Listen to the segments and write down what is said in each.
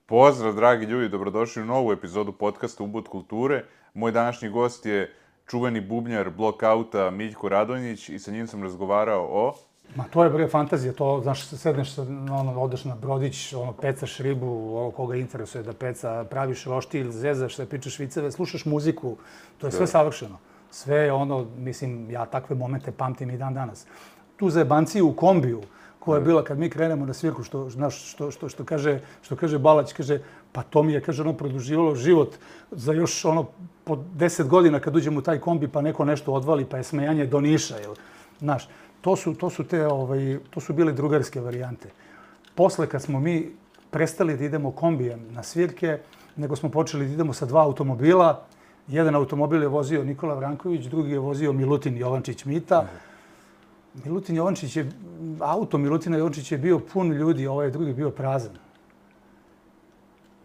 Pozdrav, dragi ljudi, dobrodošli u novu epizodu podcasta Ubud kulture. Moj današnji gost je čuveni bubnjar Blockouta Miljko Radonjić i sa njim sam razgovarao o... Ma to je bre fantazija, to, znaš, sedneš, odeš na brodić, pecaš ribu, koga interesuje da peca, praviš roštilj, zezaš se, pričaš viceve, slušaš muziku, to je sve savršeno. Sve je mislim, ja takve momente pamtim i dan danas. Tu zajebanciju u kombiju, koja je bila kad mi krenemo na svirku, što kaže Balać, kaže, pa to mi je, kaže, produživalo život za još po 10 godina kad uđemo u taj kombi pa neko nešto odvali, pa je smejanje do Niša, znaš. To su bile drugarske varijante. Posle, kad smo mi prestali da idemo kombijem na svirke, nego smo počeli da idemo sa 2 automobila. Jedan automobil je vozio Nikola Vranković, drugi je vozio Milutin Jovančić Mita. Auto Milutina Jovančića je bio pun ljudi, ovaj drugi bio prazan.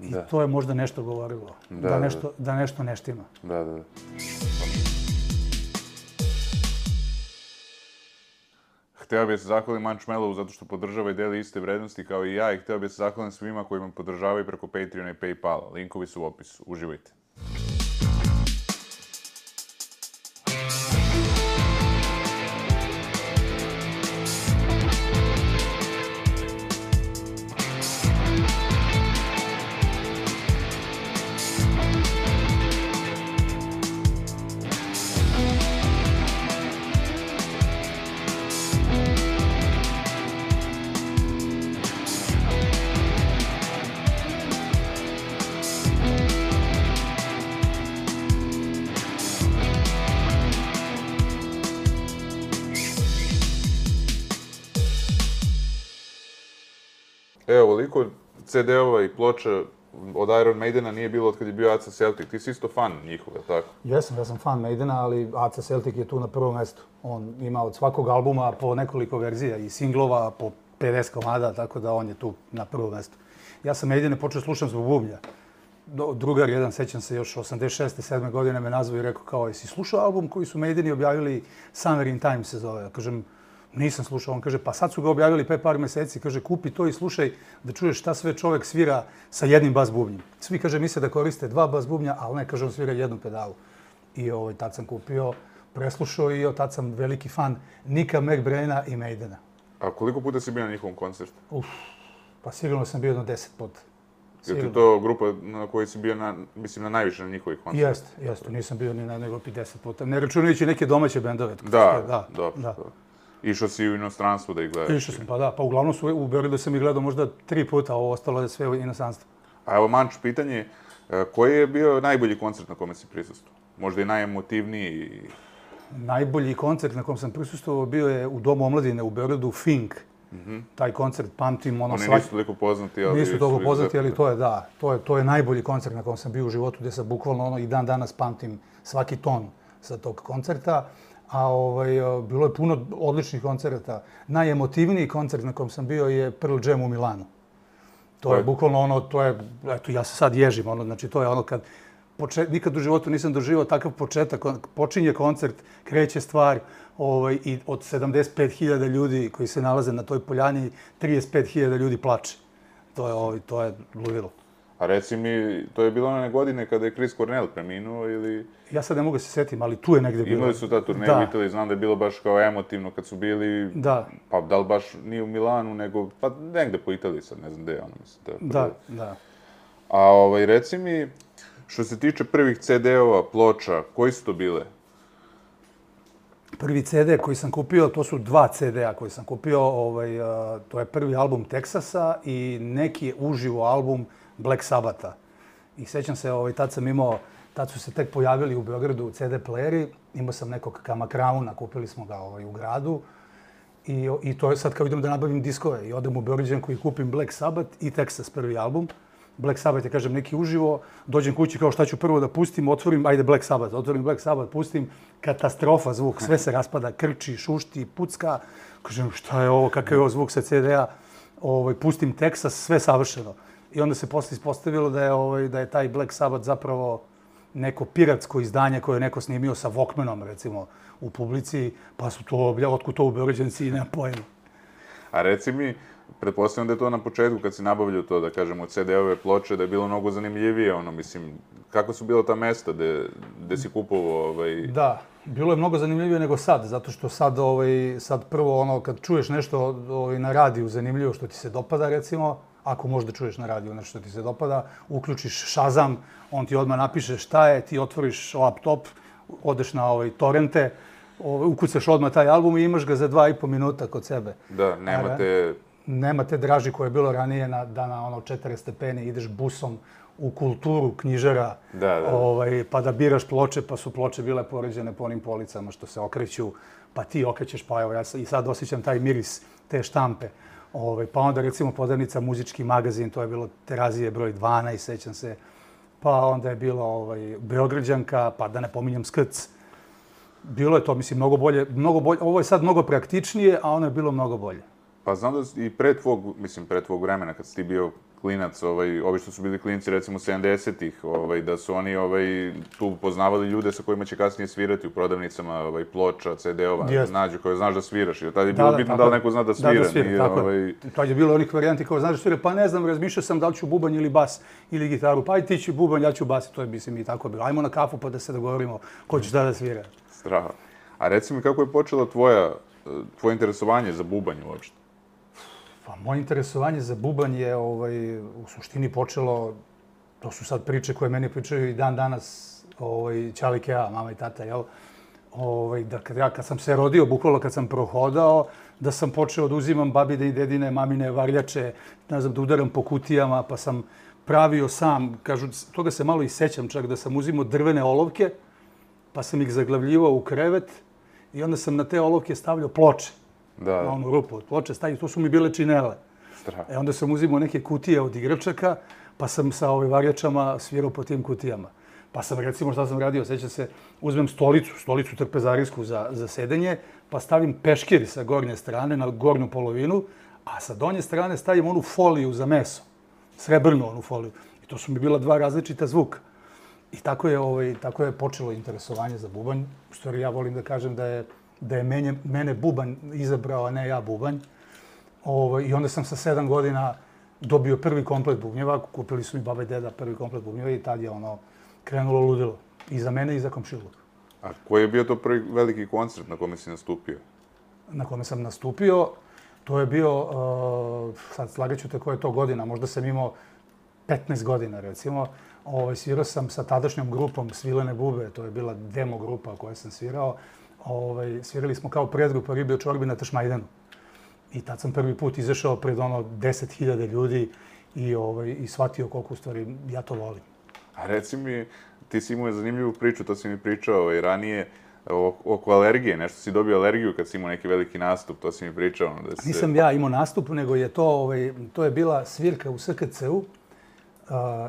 I to je možda nešto govorilo, da nešto ne štima. Da. Hteo bih se zahvalim Mančmelovu zato što podržava i deli iste vrednosti kao i ja i hteo bih se zahvalim svima koji me podržavaju preko Patreona i Paypala. Linkovi su u opisu. Uživajte. Evo, ovoliko CD-ova i ploča od Iron Maidena nije bilo od kad je bio Aca Celtic. Ti si isto fan njihova, tako? Ja sam fan Maidena, ali Aca Celtic je tu na prvom mestu. On ima od svakog albuma po nekoliko verzija i singlova, po 50 komada, tako da on je tu na prvom mestu. Ja sam Maidene počeo slušam zbog bubnja. Drugar jedan, sećam se, još 86. 7. godine me nazvao i rekao kao, jesi slušao album koji su Maideni objavili, Summer in Time se zove? Kažem, nisam slušao. On kaže, pa sad su ga objavili pre par meseci. Kaže, kupi to i slušaj da čuješ šta sve čovek svira sa jednim bas bubnjem. Svi, kaže, misle da koriste 2 bas bubnja, ali ne, kaže, on svira jednu pedalu. I tad sam kupio, preslušao i tad sam veliki fan Nicka McBraina i Maidena. A koliko puta si bio na njihovom koncertu? Pa sigurno sam bio jedno 10 puta. Je ti to grupa na kojoj si bio, mislim, na najviše na njihovih koncerta? Jeste. Nisam bio ni na nego 50 puta. Ne računajući neke domaće bendove. Da. Išao si u inostranstvo da ih gledaš? Išao sam, pa da. Pa uglavnom u Beogradu sam ih gledao možda 3 puta, a ovo ostalo je sve u inostranstvu. A evo, Manč, pitanje, koji je bio najbolji koncert na kome si prisustvovao? Možda i najemotivniji? Najbolji koncert na kom sam prisustvovao bio je u Domu omladine u Beogradu, Fink. Taj koncert pamtim Oni nisu toliko poznati, ali... Nisu toliko poznati, ali to je najbolji koncert na kom sam bio u životu, gde sam bukvalno i dan danas pamtim svaki ton sa tog koncerta. A bilo je puno odličnih koncerta. Najemotivniji koncert na kom sam bio je Pearl Jam u Milanu. To je bukvalno eto, ja se sad ježim, znači to je kad nikad u životu nisam doživao takav početak, počinje koncert, kreće stvar i od 75.000 ljudi koji se nalaze na toj poljani, 35.000 ljudi plače. To je ludilo. A reci mi, to je bilo one godine kada je Chris Cornell preminuo ili... Ja sad ne mogu se setim, ali tu je negde bilo. Imali su ta turneja u Italiji, znam da je bilo baš kao emotivno kad su bili... Da. Pa da li baš nije u Milanu, nego pa negde po Italiji sad, ne znam gde je ono, mislim. Da. A reci mi, što se tiče prvih CD-ova, ploča, koji su to bile? Prvi CD koji sam kupio, to su 2 CD-a koji sam kupio, to je prvi album Texasa i neki uživo album Black Sabbatha. I sećam se, tad su se tek pojavili u Beogradu CD playeri, imao sam nekog Kama Crown-a, kupili smo ga u gradu i to je sad kao idem da nabavim diskove i odem u Beograđanku i kupim Black Sabbath i Texas prvi album. Black Sabbath je, kažem, neki uživo, dođem kući kao šta ću prvo da pustim, otvorim Black Sabbath, pustim, katastrofa zvuk, sve se raspada, krči, šušti, pucka, kažem šta je ovo, kakav je ovo zvuk sa CD-a, pustim Texas, sve savršeno. I onda se posle ispostavilo da je taj Black Sabbath zapravo neko piratsko izdanje koje je neko snimio sa Walkmanom, recimo, u publici, pa su to, otkud to u Beograđanci, nema pojma. A reci mi, pretpostavljam da je to na početku kad si nabavljao to, da kažem, od CD-ove ploče, da je bilo mnogo zanimljivije, mislim, kako su bila ta mesta gde si kupovao, Da, bilo je mnogo zanimljivije nego sad, zato što sad prvo kad čuješ nešto na radiju zanimljivo što ti se dopada, recimo, ako možda čuješ na radiju nešto što ti se dopada, uključiš Shazam, on ti odmah napiše šta je, ti otvoriš laptop, odeš na torrente, ukucaš odmah taj album i imaš ga za 2,5 minuta kod sebe. Da, Nema te draži koje je bilo ranije da na 40 stepeni ideš busom u kulturu knjižara, pa da biraš ploče, pa su ploče bile poređene po onim policama što se okreću, pa ti okrećeš, pa evo ja i sad osjećam taj miris te štampe. Pa onda recimo Podravnica muzički magazin, to je bilo Terazije broj 12, sećam se, pa onda je bilo Beograđanka, pa da ne pominjem Skrc. Bilo je to, mislim, mnogo bolje, ovo je sad mnogo praktičnije, a ono je bilo mnogo bolje. Pa znam da i pre tvog vremena, kad si ti bio klinac, ovi što su bili klinci, recimo 70-ih, da su oni tu poznavali ljude sa kojima će kasnije svirati u prodavnicama ploča, CD-ova, nađu koje znaš da sviraš. I tada je bilo bitno da li neko zna da svira. Da svira, tako je. Tad je bilo onih varijanti kao znaš da svira, pa ne znam, razmišljao sam da li ću bubanj ili bas ili gitaru, pa aj ti ću bubanj, ja ću bas, to je mislim i tako bilo. Ajmo na kafu pa da se dogovorimo ko će da svira. Straha. A reci mi kako je počelo tvoje interesovanje za bubanj uopšte? Pa, moje interesovanje za bubanj je u suštini počelo, to su sad priče koje meni pričaju i dan danas Ćalike ja, mama i tata, jel? Da kad sam se rodio, bukvalno kad sam prohodao, da sam počeo da uzimam babine i dedine, mamine varljače, ne znam, da udaram po kutijama, pa sam pravio sam, kažu, toga se malo i sećam čak, da sam uzimao drvene olovke, pa sam ih zaglavljivao u krevet i onda sam na te olovke stavljao ploče. Na onu rupu od ploče stavio, to su mi bile činele. Onda sam uzimao neke kutije od igračaka, pa sam sa varljačama svirao po tim kutijama. Pa sam, recimo, šta sam radio, sećam se, uzmem stolicu trpezarijsku za sedenje, pa stavim peškir sa gornje strane na gornju polovinu, a sa donje strane stavim onu foliju za meso, srebrnu onu foliju. I to su mi bila dva različita zvuka. I tako je počelo interesovanje za bubanj. U stvari, ja volim da kažem da je mene bubanj izabrao, a ne ja bubanj. I onda sam sa 7 godina dobio prvi komplet bubnjeva. Kupili su mi baba i deda prvi komplet bubnjeva i tad je krenulo ludilo. I za mene i za komšiluk. A koji je bio to prvi veliki koncert na kome si nastupio? Na kome sam nastupio, to je bio, sad slagaću te koja je to godina, možda sam imao 15 godina recimo. Svirao sam sa tadašnjom grupom Svilene bube, to je bila demo grupa koja sam svirao. Svirali smo kao predgrupa Ribe čorbi na Tašmajdanu. I tad sam prvi put izašao pred 10.000 ljudi i shvatio koliko u stvari ja to volim. A reci mi, ti si imao zanimljivu priču, to si mi pričao i ranije, oko alergije. Nešto si dobio alergiju kad si imao neki veliki nastup, to si mi pričao. Nisam ja imao nastup, nego je to je bila svirka u SKC-u.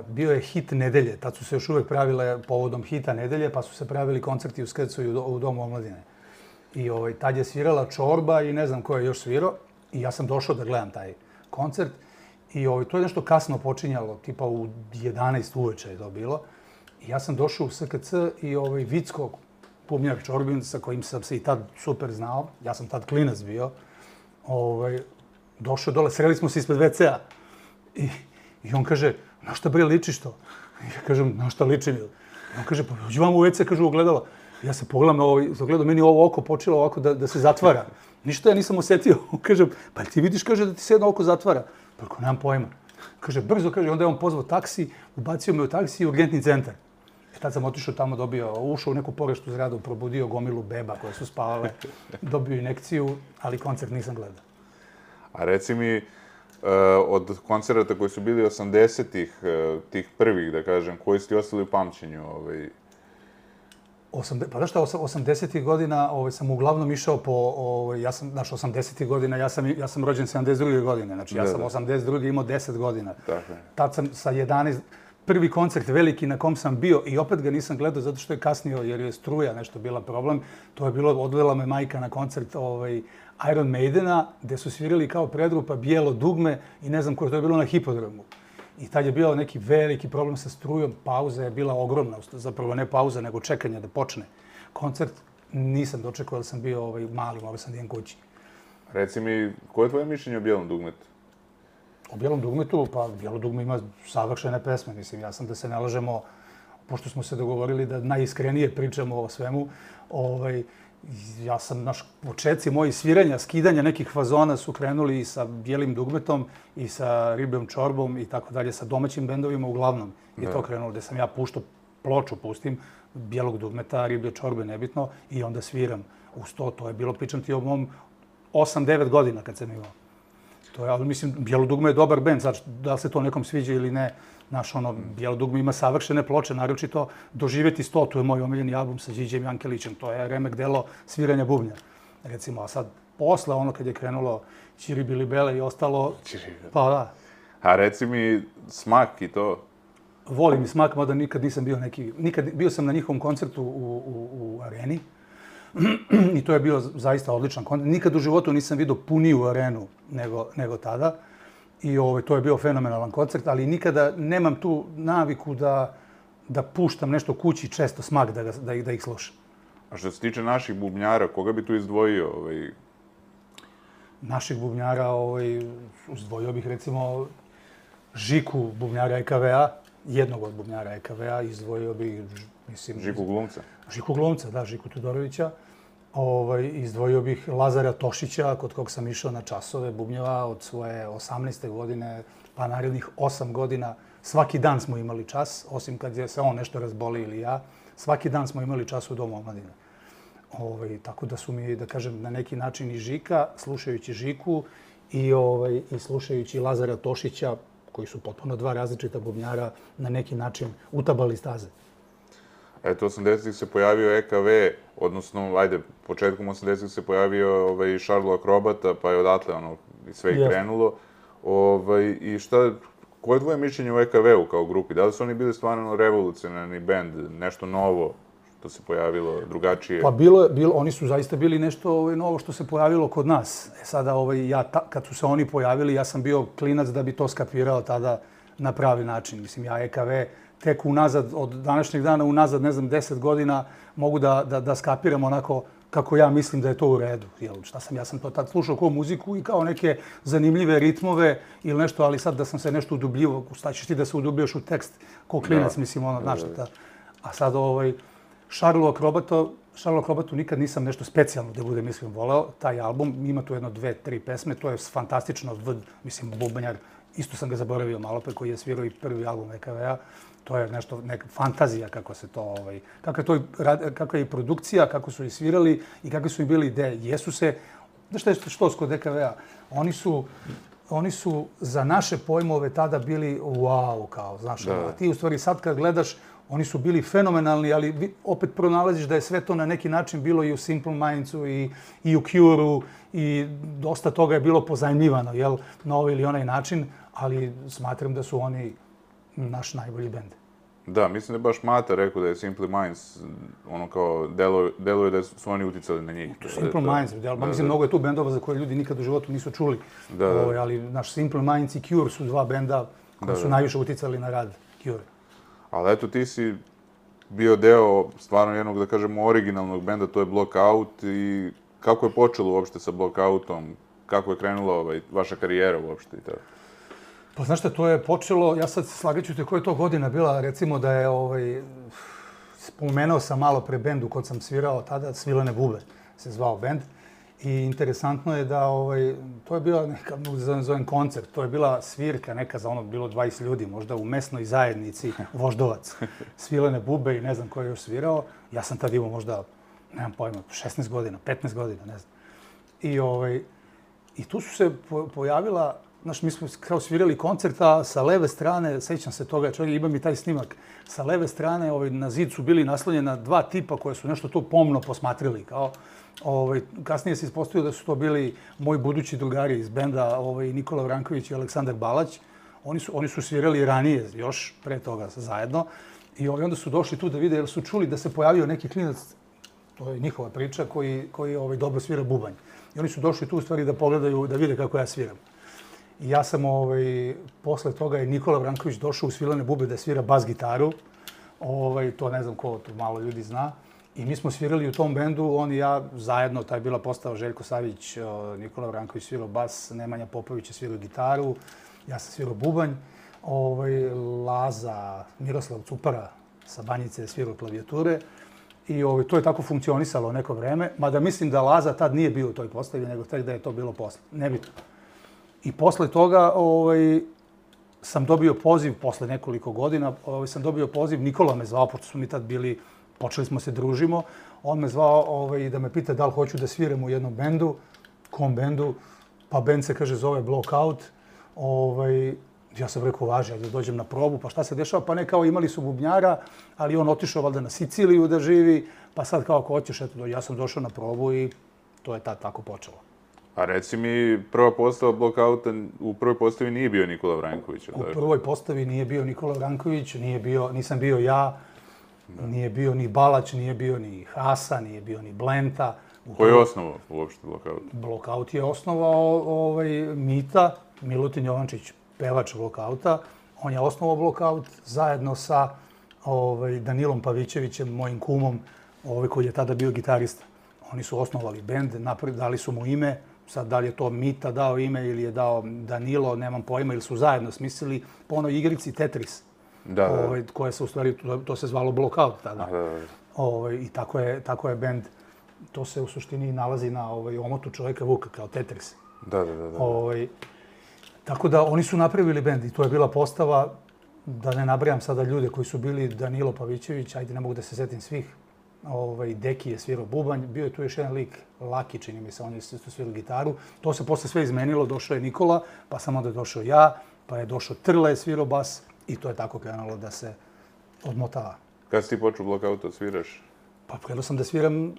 Bio je hit nedelje, tad su se još uvek pravile povodom hita nedelje, pa su se pravili koncerti u SKC-u i u Domu omladine. I tad je svirala Čorba i ne znam ko je još svirao. I ja sam došao da gledam taj koncert. I to je nešto kasno počinjalo, tipa u 11 uveče je to bilo. I ja sam došao u SKC i Vicko, bubnjar Čorbin, sa kojim sam se i tad super znao, ja sam tad klinac bio, došao dole, sreli smo se ispred WC-a. I on kaže, na šta bre ličiš to? I ja kažem, na šta ličim? I on kaže, pa uđi vam u WC, kaže, ogledalo. Ja se pogledam na ogledalo, meni ovo oko počelo ovako da se zatvara. Ništa ja nisam osetio. Kaže, pa ti vidiš, kaže, da ti se jedno oko zatvara. Pa ako nemam pojma. Kaže, brzo, kaže, onda je on pozvao taksi, ubacio me u taksi i urgentni centar. I tad sam otišao tamo, ušao u neku pogreštu zgradu, probudio gomilu beba koje su spavale, dobio injekciju, ali koncert nisam gledao. A reci mi, od koncerata koji su bili 80-ih, tih prvih, da kažem, koji ste ostali u pamćenju? Pa da šta, 80-ih godina sam uglavnom išao po, ja sam, znaš, 80-ih godina, ja sam rođen 72. godine, znači ja sam 82. imao 10 godina. Tad sam sa 11, prvi koncert veliki na kom sam bio i opet ga nisam gledao zato što je kasnio jer je struja nešto bila problem. To je bilo, odvela me majka na koncert Iron Maidena gde su svirali kao predgrupa Bijelo dugme i ne znam ko, to je bilo na Hipodromu. I tad je bio neki veliki problem sa strujom, pauza je bila ogromna, zapravo ne pauza, nego čekanje da počne koncert. Nisam dočekao, jer sam bio mali, morao sam da idem kući. Reci mi, koje je tvoje mišljenje o Bijelom dugmetu? O Bijelom dugmetu, pa Bijelo dugme ima savršene pesme. Mislim, ja sam da se ne lažemo, pošto smo se dogovorili da najiskrenije pričamo o svemu, ja sam, početci moji sviranja, skidanja nekih fazona su krenuli i sa Bijelim dugmetom i sa Ribljom čorbom i tako dalje, sa domaćim bendovima uglavnom je to krenulo, gde sam ja ploču pustim, Bijelog dugmeta, Riblje čorbe, nebitno, i onda sviram uz to. To je bilo, pričam ti o mom 8-9 godina kad sam imao. To je, ali mislim, Bijelo dugme je dobar bend, sad da li se to nekom sviđa ili ne. Bijelo dugme ima savršene ploče, naročito Doživjeti 100, to je moj omiljeni album sa Điđem Jankelićem, to je remek delo sviranja bubnja, recimo. A sad, posle kad je krenulo Ćiri Bili Bele i ostalo, pa da. A reci mi Smak i to? Volim i Smak, mada nikad nisam bio bio sam na njihovom koncertu u areni i to je bio zaista odličan koncert. Nikad u životu nisam vidio puniju arenu nego tada. I to je bio fenomenalan koncert, ali nikada nemam tu naviku da puštam nešto kući, često Smak da ih slušam. A što se tiče naših bubnjara, koga bi tu izdvojio? Naših bubnjara, izdvojio bih recimo Žiku, bubnjara EKV-a, jednog od bubnjara EKV-a, izdvojio bih, mislim... Žiku Glumca? Žiku Glumca, da, Žiku Todorovića. Izdvojio bih Lazara Tošića, kod kog sam išao na časove bubnjeva od svoje 18. godine, pa narednih 8 godina. Svaki dan smo imali čas, osim kad se on nešto razboli ili ja. Svaki dan smo imali čas u Domu omladine. Tako da su mi, da kažem, na neki način i Žika, slušajući Žiku i slušajući Lazara Tošića, koji su potpuno dva različita bubnjara, na neki način utabali staze. Eto, 80-ih se pojavio EKV, odnosno, početkom 80-ih se pojavio Šarlo Akrobata, pa je odatle sve i krenulo. I koje je tvoje mišljenje o EKV-u kao grupi? Da li su oni bili stvarno revolucionarni bend, nešto novo što se pojavilo, drugačije? Pa oni su zaista bili nešto novo što se pojavilo kod nas. Sada, kad su se oni pojavili, ja sam bio klinac da bi to skapirao tada na pravi način. Mislim, ja EKV tek unazad, od današnjeg dana unazad, ne znam, 10 godina, mogu da skapiram onako kako ja mislim da je to u redu. Ja sam to tad slušao kao muziku i kao neke zanimljive ritmove ili nešto, ali sad da sam se nešto udubljivo, šta ćeš ti da se udubljaš u tekst kao klinac, mislim, znaš šta. A sad, Šarlo Akrobatu nikad nisam nešto specijalno, da budem iskreno, voleo. Taj album, ima tu jedno 2-3 pesme, to je fantastično, mislim, bubanjar, isto sam ga zaboravio malo pre, koji je svirao i prvi album EKV-a. To je nešto, neka fantazija kako se to, kakva je i produkcija, kako su i svirali i kakve su im bili ideje. Jesu se, znaš što kod EKV-a, oni su za naše pojmove tada bili wow, kao, znaš, a ti u stvari sad kad gledaš, oni su bili fenomenalni, ali opet pronalaziš da je sve to na neki način bilo i u Simple Mindsu i u Cure-u i dosta toga je bilo pozajmljivano, jel, na ovaj ili onaj način, ali smatram da su oni naš najbolji bend. Da, mislim da je baš Mata rekao da je Simple Minds, kao, deluje da su oni uticali na njih. Simple Minds, mislim, mnogo je tu bendova za koje ljudi nikad u životu nisu čuli, ali naš Simple Minds i Cure su dva benda koji su najviše uticali na rad Cure. Ali eto, ti si bio deo stvarno jednog, da kažemo, originalnog benda, to je Blockout, i kako je počelo uopšte sa Blockoutom, kako je krenula vaša karijera uopšte i tako? Pa znaš šta, to je počelo, ja sad slagaću te koja je to godina bila, recimo da je, spomenuo sam malo pre bendu kod sam svirao tada, Svilene bube se zvao bend. I interesantno je da, to je bila neka, zovem koncert, to je bila svirka neka za bilo 20 ljudi, možda u mesnoj zajednici Voždovac. Svilene bube i ne znam ko je još svirao. Ja sam tad imao možda, nemam pojma, 16 godina, 15 godina, ne znam. I tu su se pojavila, znaš, mi smo kao svirali koncert, a sa leve strane, sećam se toga, čovjek, imam i taj snimak, sa leve strane na zid su bili naslonjena dva tipa koje su nešto tu pomno posmatrili, kao, kasnije se ispostavio da su to bili moji budući drugari iz benda, Nikola Vranković i Aleksandar Balać. Oni su svirali ranije, još pre toga zajedno. I onda su došli tu da vide, jer su čuli da se pojavio neki klinac, to je njihova priča, koji dobro svira bubanj. I oni su došli tu u stvari da pogledaju, da vide kako ja sviram. I ja sam, posle toga je Nikola Vranković došao u Svilene bube da svira bas gitaru. To ne znam ko, to malo ljudi zna. I mi smo svirali u tom bendu, on i ja zajedno, taj je bila postava Željko Savić, Nikola Vranković svirao bas, Nemanja Popović je svirao gitaru. ja sam svirao bubanj, Laza, Miroslav Cupara sa Banjice je svirao klavijature i to je tako funkcionisalo neko vreme, mada mislim da Laza tad nije bio u toj postavi, nego tek da je to bilo posle, nebitno. I posle toga sam dobio poziv, posle nekoliko godina, sam dobio poziv, Nikola me zvao, pošto smo mi tad bili, počeli smo se družimo, on me zvao da me pita da li hoću da sviram u jednom bendu, kom bendu, pa bend se, kaže, zove Blockout. Ja sam rekao, važi, da dođem na probu, pa šta se dešava? Pa ne, kao imali su bubnjara, ali on otišao valjda na Siciliju da živi, pa sad kao ako hoćeš, eto, ja sam došao na probu i to je tad tako počelo. A reci mi, prva postava Blockouta, u prvoj postavi nije bio Nikola Vranković, U prvoj postavi nije bio Nikola Vranković, nisam bio ja, nije bio ni Balać, nije bio ni Hasa, nije bio ni Blenta. Ko je osnovao uopšte Blockout? Blockout je osnovao Mita, Milutin Jovančić, pevač Blockouta. On je osnovao Blockout zajedno sa Danilom Pavićevićem, mojim kumom, koji je tada bio gitarista. Oni su osnovali bend, dali su mu ime. Sad, da li je to Mita dao ime ili je dao Danilo, nemam pojma, ili su zajedno smislili po onoj igrici Tetris. Koja se u stvari, to se zvalo Blockout tada. I tako je bend. To se u suštini nalazi na omotu čoveka Vuka, kao Tetris. Tako da oni su napravili bend i to je bila postava, da ne nabrajam sada ljude koji su bili, Danilo Pavićević, ajde ne mogu da se setim svih, Deki je svirao bubanj, bio je tu još jedan lik, Laki, čini mi se, on je isto svirao gitaru. To se posle sve izmenilo, došao je Nikola, pa sam onda došao ja, pa je došao Trle, svirao bas i to je tako krenulo da se odmotava. Kada si ti počeo Blockouta sviraš? Pa krenuo sam da sviram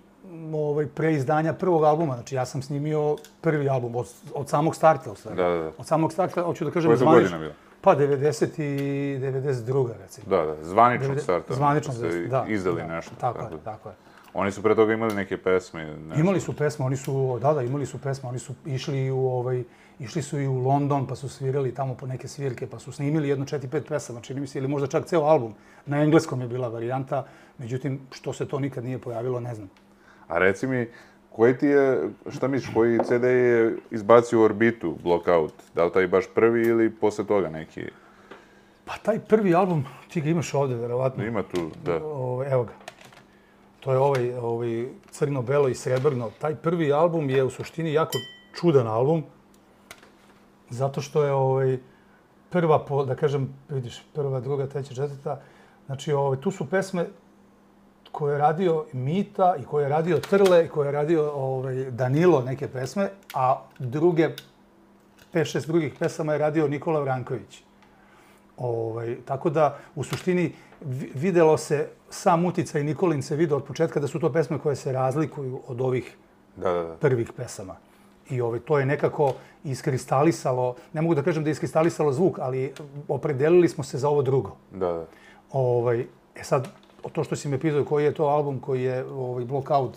pre izdanja prvog albuma. Znači, ja sam snimio prvi album od samog starta, u stvari. Od samog starta, hoću da kažem, zvanično. Koja je to godina bila? Pa, 90 i 92. recimo. Zvaničnog starta. Zvaničnog, da. Izdali nešto. Tako je. Oni su pre toga imali neke pesme? Imali su pesme, imali su pesme. Oni su išli su i u London, pa su svirali tamo po neke svirke, pa su snimili jedno 4-5 pesama, čini mi se, ili možda čak ceo album. Na engleskom je bila varijanta, međutim, što se to nikad nije pojavilo, ne znam. A reci mi, šta misliš, koji CD je izbacio u orbitu Blockout? Da li taj baš prvi ili posle toga neki? Pa taj prvi album, ti ga imaš ovde, verovatno. Ima tu, da. Evo ga. To je ovaj crno, belo i srebrno. Taj prvi album je u suštini jako čudan album, zato što je prva, da kažem, vidiš, prva, druga, treća, četvrta. Znači, tu su pesme koje je radio Mita i koje je radio Trle i koje je radio Danilo neke pesme, a 5-6 drugih pesama je radio Nikola Vranković. Tako da, u suštini, videlo se, sam uticaj Nikolin se vidio od početka da su to pesme koje se razlikuju od ovih prvih pesama. I to je nekako iskristalisalo, ne mogu da kažem da je iskristalisalo zvuk, ali opredelili smo se za ovo drugo. Sad, to što si me pitao koji je to album koji je Blockout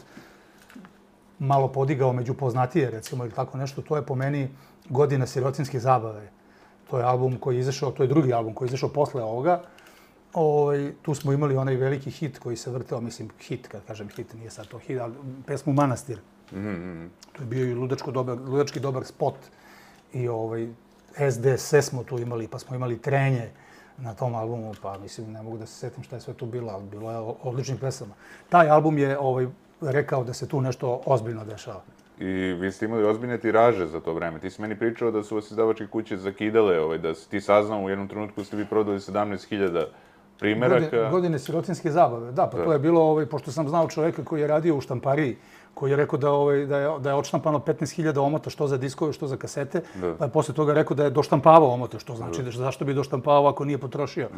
malo podigao među poznatije, recimo, ili tako nešto, to je po meni Godina sirotinjske zabave. To je album koji je izašao, to je drugi album koji je izašao posle ovoga. Tu smo imali onaj veliki hit koji se vrteo, mislim, hit, kad kažem hit, nije sad to hit, ali pesmu Manastir. To je bio i ludački dobar spot. I SDSS smo tu imali, pa smo imali Trenje na tom albumu, pa mislim, ne mogu da se setim šta je sve tu bilo, ali bilo je odličnih pesama. Taj album je rekao da se tu nešto ozbiljno dešava. I vi ste imali ozbiljne tiraže za to vreme. Ti si meni pričao da su vas izdavačke kuće zakidale, da si ti saznao u jednom trenutku ste vi prodali 17.000 primeraka. Godine sirotinjske zabave, da, pa to je bilo, pošto sam znao čoveka koji je radio u štampariji, koji je rekao da je odštampano 15.000 omota, što za diskove, što za kasete, pa je posle toga rekao da je doštampavao omota, što znači zašto bi doštampavao ako nije potrošio.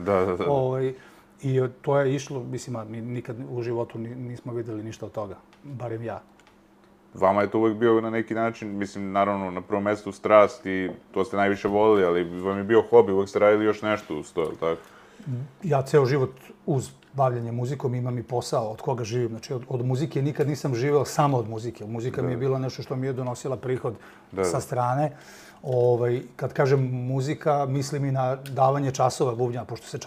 I to je išlo, mislim, mi nikad u životu nismo videli ništa od toga, barem ja. Vama je to uvek bio na neki način, mislim, naravno, na prvom mestu strast i to ste najviše volili, ali vam je bio hobi, uvek ste radili još nešto uz to, ili tako? Ja ceo život uz bavljanje muzikom imam i posao od koga živim. Znači, od muzike nikad nisam živeo samo od muzike. Muzika mi je bila nešto što mi je donosila prihod sa strane. Kad kažem muzika, mislim i na davanje časova bubnja, pošto se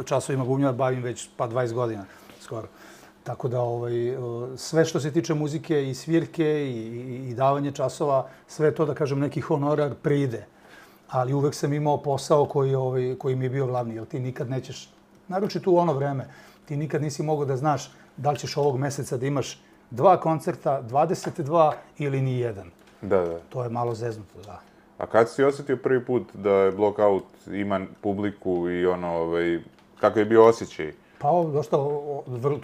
časovima bubnja bavim već 20 godina skoro. Tako da sve što se tiče muzike i svirke i davanje časova, sve to, da kažem, neki honorar pride. ali uvek sam imao posao koji mi je bio glavni, jer ti nikad nećeš, naročito u ono vreme, ti nikad nisi mogao da znaš da li ćeš ovog meseca da imaš 2 koncerta, 22 ili ni jedan. Da. To je malo zeznuto, da. A kad si osjetio prvi put da je Blockout ima publiku i kako je bio osjećaj? Pa dosta,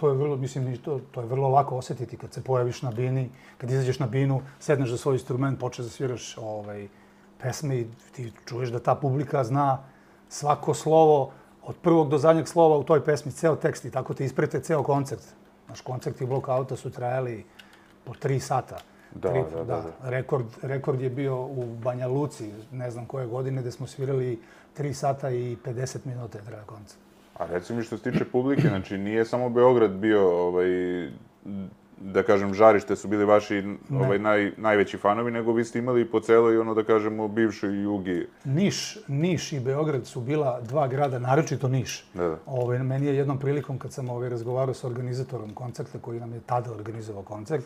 to je vrlo, mislim, to je vrlo lako osjetiti kad se pojaviš na bini, kad izađeš na binu, sedneš za svoj instrument, počneš da sviraš pesme i ti čuješ da ta publika zna svako slovo, od prvog do zadnjeg slova u toj pesmi, ceo tekst i tako te isprete ceo koncert. Naš koncerti Blockouta su trajali po 3 sata. Da. Rekord je bio u Banja Luci, ne znam koje godine, gde smo svirali 3 sata i 50 minuta je trajao koncert. A reci mi što se tiče publike, znači nije samo Beograd bio, da kažem, žarište su bili vaši najveći fanovi, nego vi ste imali po celoj, da kažemo, bivšoj Jugi. Niš i Beograd su bila 2 grada, naročito Niš. Da. Meni je jednom prilikom, kad sam razgovarao sa organizatorom koncerta, koji nam je tada organizovao koncert,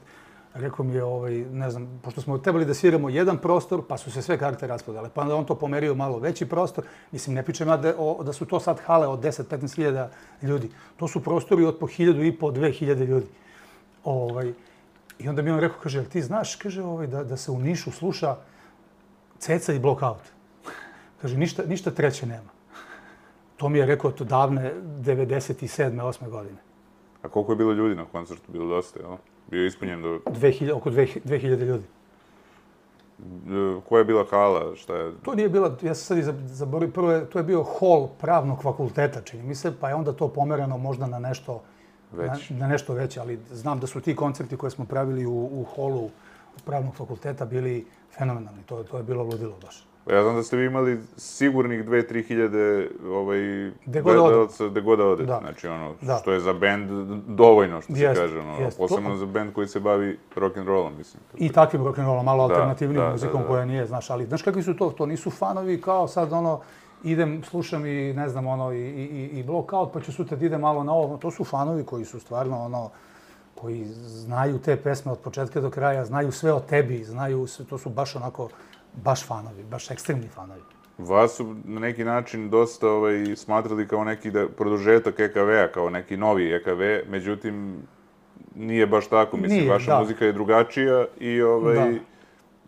rekao mi je, ne znam, pošto smo trebali da sviramo jedan prostor, pa su se sve karte raspodale, pa onda on to pomerio malo veći prostor. Mislim, ne pričam ja da su to sad hale od 10-15 hiljada ljudi. To su prostori od po 1.500, 2.000 ljudi. I onda mi on rekao, kaže, jel ti znaš, kaže, da se u Nišu sluša Ceca i Blockout. Kaže, ništa treće nema. To mi je rekao to davne 97. 8. godine. A koliko je bilo ljudi na koncertu? Bilo dosta, jel? Bio je ispunjen do... Oko 2.000 ljudi. Koja je bila hala? Šta je? To nije bila, ja sam sad i zaboravio, prvo to je bio hol pravnog fakulteta, čini mi se, pa je onda to pomerano možda na nešto na nešto veće, ali znam da su ti koncerti koje smo pravili u holu pravnog fakulteta bili fenomenalni. To je bilo ludilo baš. Ja znam da ste vi imali sigurnih 2-3 hiljade gledalaca gde god da odete. Znači, što je za bend dovoljno, što se kaže. Posebno za bend koji se bavi rock'n'rollom, mislim. I takvim rock'n'rollom, malo alternativnim muzikom koja nije, znaš. Ali, znaš kakvi su to? To nisu fanovi kao sad, idem, slušam i, ne znam, i Blockout, pa ću sutra da idem malo na ovo. To su fanovi koji su stvarno, koji znaju te pesme od početka do kraja, znaju sve o tebi, to su baš onako, baš fanovi, baš ekstremni fanovi. Vas su na neki način dosta smatrali kao neki produžetak EKV-a, kao neki novi EKV, međutim, nije baš tako. Mislim, vaša muzika je drugačija i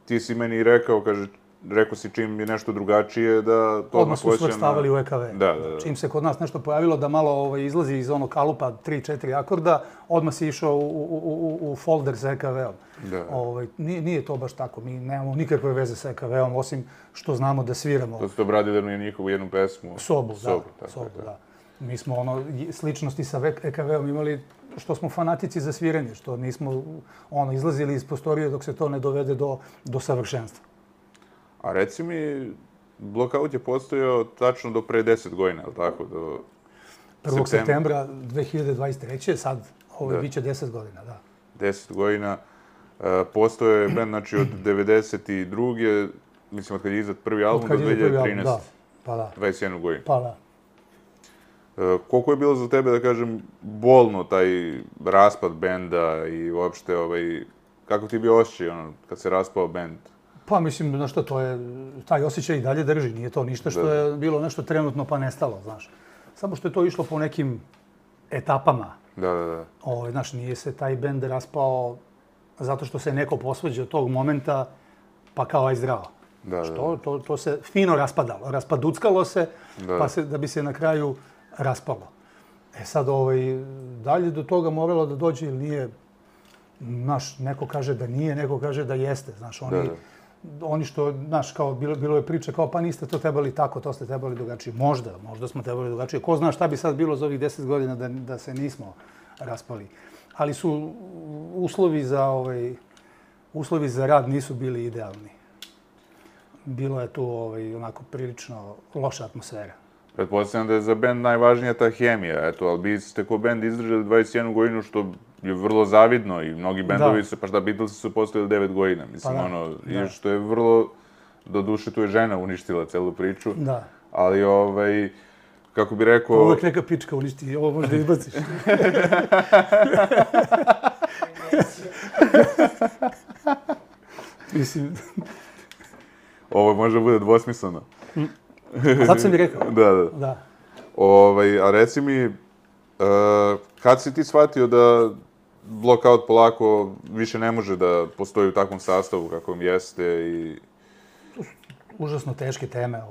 ti si meni rekao si čim je nešto drugačije da to odmah su svrstavali u EKV. Da. Čim se kod nas nešto pojavilo da malo izlazi iz onog kalupa 3-4 akorda, odmah si išao u folder sa EKV-om. Nije to baš tako. Mi nemamo nikakve veze sa EKV-om, osim što znamo da sviramo. To ste obradili njihovu jednu pesmu. Sobu, da. Mi smo sličnosti sa EKV-om imali što smo fanatici za sviranje, što nismo izlazili iz prostorije dok se to ne dovede do savršenstva. A reci mi, Blockout je postojao tačno do pre 10 godina, je li tako? 1. septembra 2023. Sad, bit će 10 godina, da. 10 godina. Postojao je band, znači, od 92. Mislim, od kad je izdat prvi album do 2013. Da, pa da. 21 godinu. Pa da. Koliko je bilo za tebe, da kažem, bolno taj raspad benda i uopšte, kako ti je bio osjećaj, kad se raspao bend? Pa mislim, znaš što, taj osjećaj i dalje drži, nije to ništa što je bilo nešto trenutno pa nestalo, znaš. Samo što je to išlo po nekim etapama. Da. Znaš, nije se taj bend raspao zato što se neko posvađao tog momenta, pa kao aj zdravo. To se fino raspadalo, raspaduckalo se, pa da bi se na kraju raspalo. Sad, dalje do toga moralo da dođe ili nije, znaš, neko kaže da nije, neko kaže da jeste, znaš, oni što, znaš, kao, bilo je priča kao, pa niste to trebali tako, to ste trebali drugačije. Možda smo trebali drugačije. Ko zna šta bi sad bilo za ovih 10 godina da se nismo raspali. Ali su uslovi za rad nisu bili idealni. Bilo je tu onako prilično loša atmosfera. Pretpostavljam da je za bend najvažnija ta hemija, ali vi ste ko bend izdržali 21 godinu, što je vrlo zavidno i mnogi bendovi su, pa šta, Beatlesi su postojali 9 godina, mislim, i što je vrlo, do duše tu je žena uništila celu priču, ali, kako bi rekao... Uvijek neka pička uništi, ovo možda izbaciš. Mislim... Ovo može bude dvosmisleno. A zato sam i rekao. Da. A reci mi, kad si ti shvatio da Blockout polako više ne može da postoji u takvom sastavu kakvom jeste i... Užasno teške teme.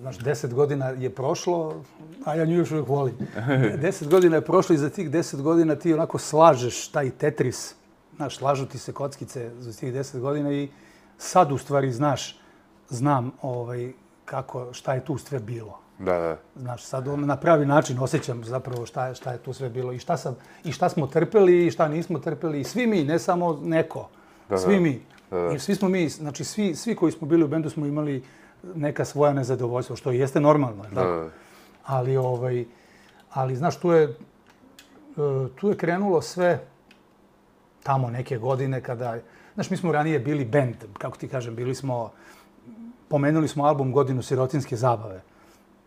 Znaš, 10 godina je prošlo, a ja nju još uvijek volim. 10 godina je prošlo i za tih 10 godina ti onako slažeš taj Tetris. Znaš, slažu ti se kockice za tih 10 godina i sad u stvari znam šta je tu sve bilo. Da. Znaš, sad na pravi način osjećam zapravo šta je tu sve bilo i šta smo trpeli i šta nismo trpeli. I svi mi, ne samo neko. Svi mi. I svi smo mi, znači svi koji smo bili u bendu smo imali neka svoja nezadovoljstva, što jeste normalno. Tako? Ali, znaš, tu je krenulo sve tamo neke godine kada... Znaš, mi smo ranije bili bend, kako ti kažem, pomenuli smo album Godinu sirotinske zabave.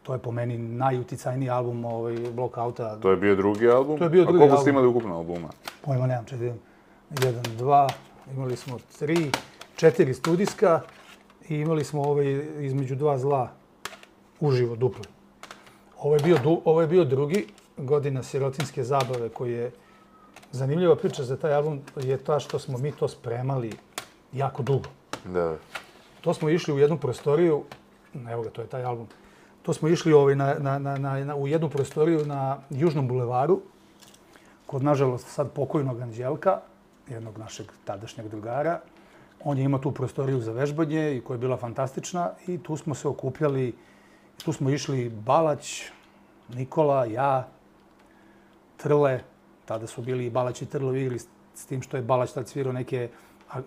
To je po meni najuticajniji album Blockouta. To je bio drugi album? To je bio drugi album. A koliko ste imali ukupno albuma? Pojma nemam, 1, 2, imali smo 3, 4 studijska i imali smo između dva zla uživo, dupli. Ovo je bio drugi, Godina sirotinske zabave, koji je zanimljiva priča za taj album, je ta što smo mi to spremali jako dugo. Da. To smo išli u jednu prostoriju, evo ga, to je taj album, to smo išli u jednu prostoriju na Južnom bulevaru, kod, nažalost, sad pokojnog Anđelka, jednog našeg tadašnjeg drugara. On je imao tu prostoriju za vežbanje i koja je bila fantastična i tu smo se okupljali, tu smo išli Balać, Nikola, ja, Trle, tada su bili i Balać i Trle igri, s tim što je Balać tad svirao neke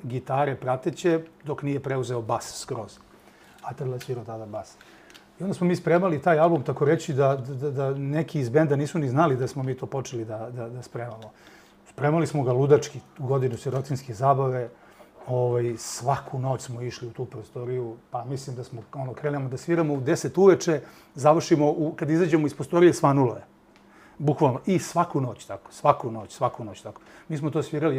gitare prateće, dok nije preuzeo bas skroz. A Trle svirao tada bas. I onda smo mi spremali taj album, tako reći, da neki iz benda nisu ni znali da smo mi to počeli da spremamo. Spremali smo ga ludački u Godinu sirotinske zabave. Svaku noć smo išli u tu prostoriju, pa mislim da smo krenemo da sviramo u 10 uveče, završimo, kad izađemo iz prostorije, svanulo je. Bukvalno. I svaku noć tako. Svaku noć tako. Mi smo to svirali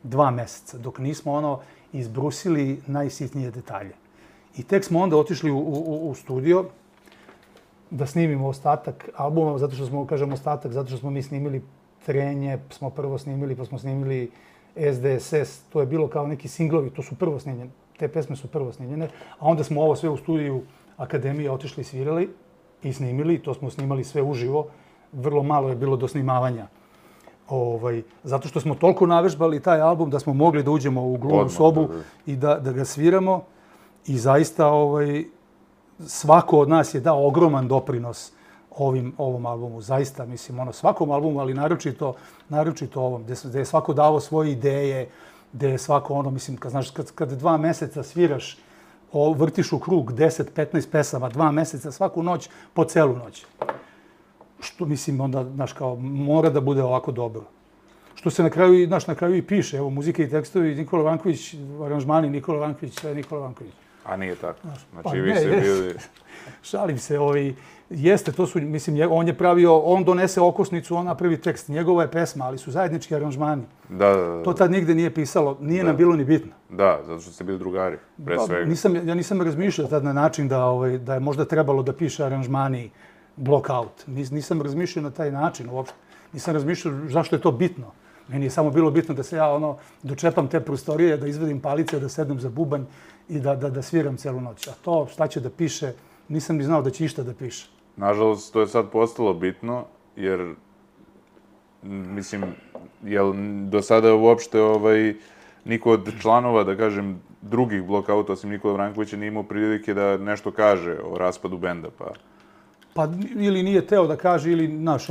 2 meseca, dok nismo izbrusili najsitnije detalje. I tek smo onda otišli u studio da snimimo ostatak albuma, zato što smo, kažem ostatak, zato što smo mi snimili Trenje, smo prvo snimili, pa smo snimili SDSS, to je bilo kao neki singlovi, to su prvo snimljene, te pesme su prvo snimljene, a onda smo ovo sve u studiju Akademije otišli, svirali i snimili, to smo snimali sve uživo, vrlo malo je bilo do snimavanja. Zato što smo toliko navežbali taj album da smo mogli da uđemo u gluvnu sobu i da ga sviramo i zaista svako od nas je dao ogroman doprinos ovom albumu. Zaista, mislim, svakom albumu, ali naročito ovom, gde je svako davo svoje ideje, gde je svako mislim, kad 2 meseca sviraš, vrtiš u krug 10-15 pesama, 2 meseca, svaku noć, po celu noć. Što, mislim, onda, znaš, kao, mora da bude ovako dobro. Što se na kraju i piše, evo, muzika i tekstovi, Nikola Vanković, aranžmani, Nikola Vanković, sve Nikola Vanković. A nije tako. Znači, vi ste bili... Šalim se, jeste, to su, mislim, on je pravio, on donese okosnicu, on napravi tekst, njegova je pesma, ali su zajednički aranžmani. Da. To tad nigde nije pisalo, nije nam bilo ni bitno. Da, zato što ste bili drugari, pre svega. Ja nisam razmišljao tad na način da je možda trebalo da piše aranžmani Blockout. Nisam razmišljao na taj način uopšte. Nisam razmišljao zašto je to bitno. Meni je samo bilo bitno da se ja dočepam te prostorije, da izvedim palice, da sednem za bubanj i da sviram celu noć. A to šta će da piše, nisam ni znao da će išta da piše. Nažalost, to je sad postalo bitno, jer, mislim, jel do sada uopšte niko od članova, da kažem, drugih Blockouta, osim Nikola Vrankovića, nije imao prilike da nešto kaže o raspadu benda, pa... Pa ili nije teo da kaže, ili, znaš,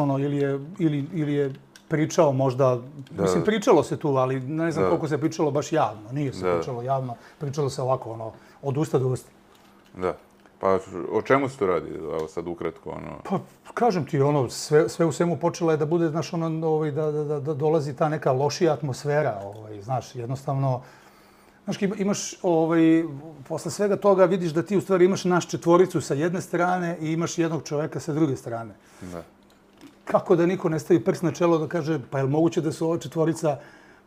ili je pričao možda, mislim, pričalo se tu, ali ne znam koliko se pričalo baš javno. Nije se pričalo javno, pričalo se ovako, od usta do usta. Da. Pa o čemu se to radi, evo sad ukratko, Pa, kažem ti, sve u svemu počelo je da bude, znaš, da dolazi ta neka lošija atmosfera, znaš, jednostavno, znaš, imaš, posle svega toga vidiš da ti u stvari imaš naš četvoricu sa jedne strane i imaš jednog čoveka sa druge strane. Da. Kako da niko ne stavi prst na čelo da kaže, pa je li moguće da su ova četvorica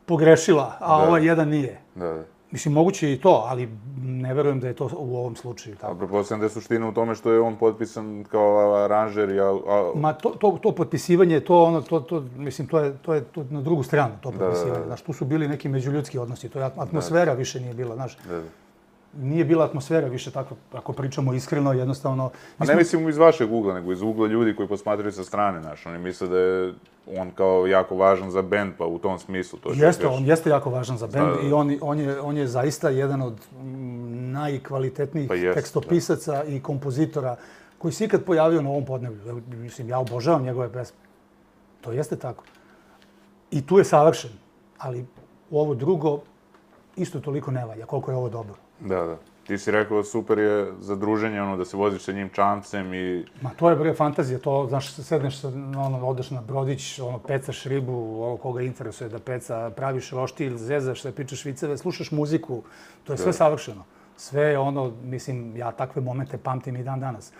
pogrešila, a ovaj jedan nije? Da. Mislim, moguće je i to, ali ne verujem da je to u ovom slučaju tako. A pretpostavljam da je suština u tome što je on potpisan kao aranžer i... Ma to potpisivanje, mislim, to je na drugu stranu, to potpisivanje. Znaš, tu su bili neki međuljudski odnosi, to je atmosfera više nije bila, znaš. Nije bila atmosfera više takva, ako pričamo iskreno, jednostavno... A ne mislim iz vašeg ugla, nego iz ugla ljudi koji posmatraju sa strane, znaš. Oni misle da je on kao jako važan za bend, pa u tom smislu to... Jeste, on jeste jako važan za bend i on je zaista jedan od najkvalitetnijih tekstopisaca i kompozitora koji se ikad pojavio na ovom podneblju. Mislim, ja obožavam njegove pesme. To jeste tako. I tu je savršen, ali ovo drugo isto toliko ne valja, koliko je ovo dobro. Da. Ti si rekao super je za druženje, da se voziš sa njim čamcem i... Ma to je bre fantazija, to, znaš, sedneš, odeš na brodić, pecaš ribu, koga interesuje da peca, praviš roštilj, zezaš se, pričaš viceve, slušaš muziku, to je sve savršeno. Sve je mislim, ja takve momente pamtim i dan danas.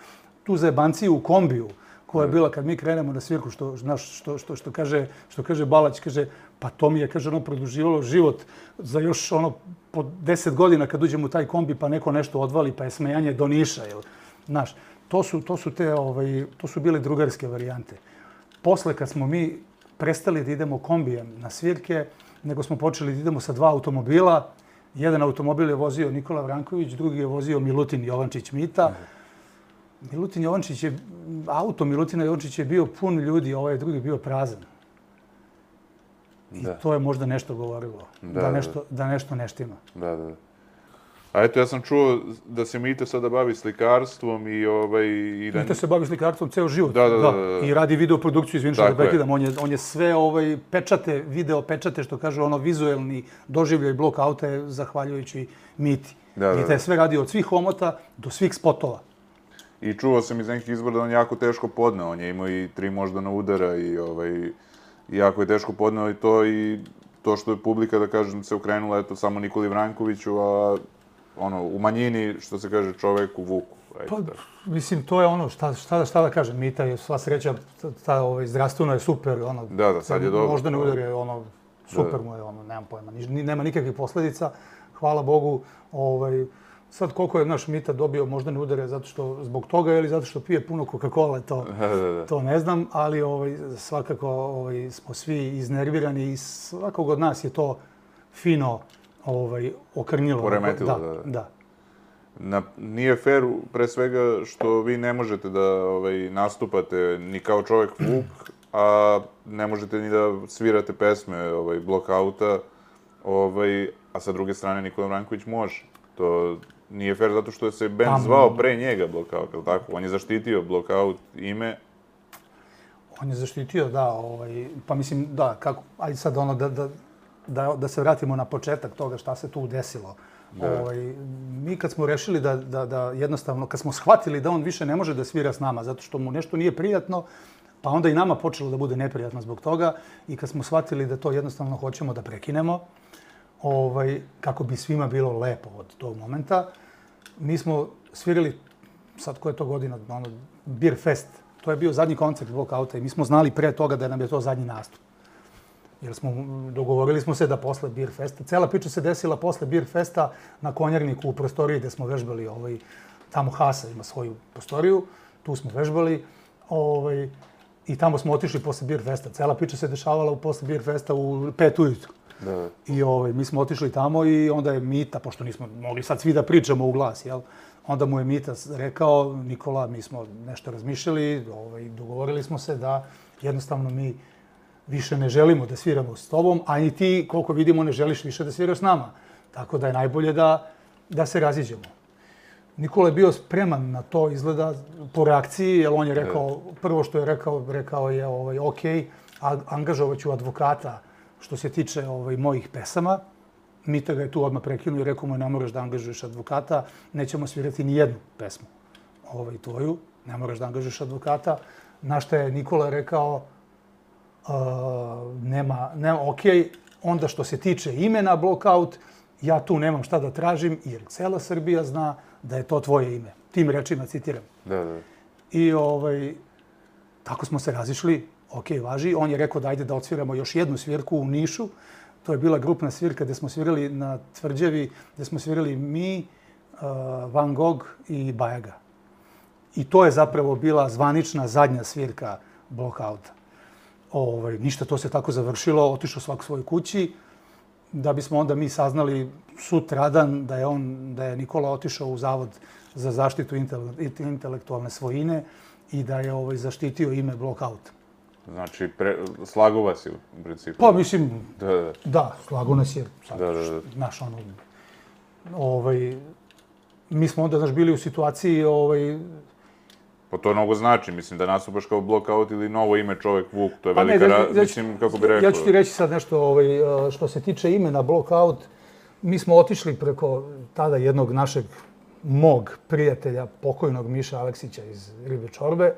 Tu zajebanciju u kombiju, koja je bila kad mi krenemo na svirku, što kaže Balać, kaže, pa to mi je, kaže, produživalo život za još po 10 godina kad uđemo u taj kombi pa neko nešto odvali, pa je smejanje do Niša, jel? Znaš, to su bile drugarske varijante. Posle kad smo mi prestali da idemo kombijem na svirke, nego smo počeli da idemo sa 2 automobila. Jedan automobil je vozio Nikola Vranković, drugi je vozio Milutin Jovančić Mita. Auto Milutina Jovančića je bio pun ljudi, ovaj drugi je bio prazan. I to je možda nešto govorilo, da nešto ne štima. Da. A eto, ja sam čuo da se Mita sada bavi slikarstvom i da... Mita se bavi slikarstvom ceo život. Da. I radi videoprodukciju, izvini što da prekidam. On je sve pečate, video pečate, što kaže, vizuelni doživljaj blok auta je zahvaljujući Miti. Mita je sve radio od svih omota do svih spotova. I čuo sam iz nekih izbora da on jako teško podneo. On je imao i 3 moždana udara i jako je teško podneo i to što je publika, da kažem, se okrenula, eto, samo Nikoli Vrankoviću, a u manjini, što se kaže, čoveku Vuku. Pa, mislim, to je šta da kažem, Mita je sva sreća, zdravstveno je super, Da, sad je dobro. Moždane udare, super mu je, nemam pojma, nema nikakvih posledica, hvala Bogu, sad koliko je naš Mita dobio moždane udare zato što zbog toga ili zato što pije puno Coca-Cola, to ne znam, ali svakako smo svi iznervirani i svakog od nas je to fino okrnjilo. Poremetilo, da. Nije fair, pre svega, što vi ne možete da nastupate ni kao čovek Vuk, a ne možete ni da svirate pesme Blockouta, a sa druge strane Nikola Vranković može. To nije fair zato što je se band zvao pre njega Blockout, ili tako? On je zaštitio Blockout ime. On je zaštitio, da, pa mislim, da, kako, ajde sad da se vratimo na početak toga šta se tu desilo. Mi kad smo rešili da jednostavno, kad smo shvatili da on više ne može da svira s nama zato što mu nešto nije prijatno, pa onda i nama počelo da bude neprijatno zbog toga i kad smo shvatili da to jednostavno hoćemo da prekinemo, kako bi svima bilo lepo od tog momenta, mi smo svirali, sad koja je to godina, Beer Fest. To je bio zadnji koncert Blockouta i mi smo znali pre toga da nam je to zadnji nastup. Jer dogovorili smo se da posle Beer Festa, cela priča se desila posle Beer Festa na Konjarniku u prostoriji gde smo vežbali, tamo Hasa ima svoju prostoriju, tu smo vežbali i tamo smo otišli posle Beer Festa. Cela priča se dešavala posle Beer Festa u 5 ujutru. I mi smo otišli tamo i onda je Mita, pošto nismo mogli sad svi da pričamo u glas, jel? Onda mu je Mita rekao, Nikola, mi smo nešto razmišljali, dogovorili smo se da jednostavno mi više ne želimo da sviramo s tobom, a i ti, koliko vidimo, ne želiš više da sviraš s nama. Tako da je najbolje da se raziđemo. Nikola je bio spreman na to, izgleda, po reakciji, jer on je rekao, prvo što je rekao je ok, angažovat ću advokata što se tiče mojih pesama. Mita ga je tu odmah prekinuo i rekao mu, ne moraš da angažuješ advokata, nećemo svirati ni jednu pesmu tvoju, ne moraš da angažuješ advokata. Na što je Nikola rekao, ok, onda što se tiče imena Blockout, ja tu nemam šta da tražim, jer cela Srbija zna da je to tvoje ime. Tim rečima citiram. I tako smo se razišli, ok, važi. On je rekao da ajde da odsviramo još jednu svirku u Nišu, To je bila grupna svirka gdje smo svirali na Tvrđevi, gdje smo svirali mi, Van Gogh i Bajaga. I to je zapravo bila zvanična zadnja svirka Blockouta. Ništa, to se tako završilo, otišao svak svoj kući, da bismo onda mi saznali sutradan da je Nikola otišao u Zavod za zaštitu intelektualne svojine i da je zaštitio ime Blockouta. Znači, slago vas je u principu. Pa, mislim, Da. da, slago nas je. Znaš, mi smo onda, bili u situaciji, Pa to mnogo znači, mislim, da nastupaš kao Blockout ili novo ime čovjek Vuk, to je velika, mislim, kako bi rekao. Ja ću ti reći sad nešto što se tiče imena Blockout. Mi smo otišli preko tada jednog mog prijatelja, pokojnog Miša Aleksića iz Ribe Čorbe.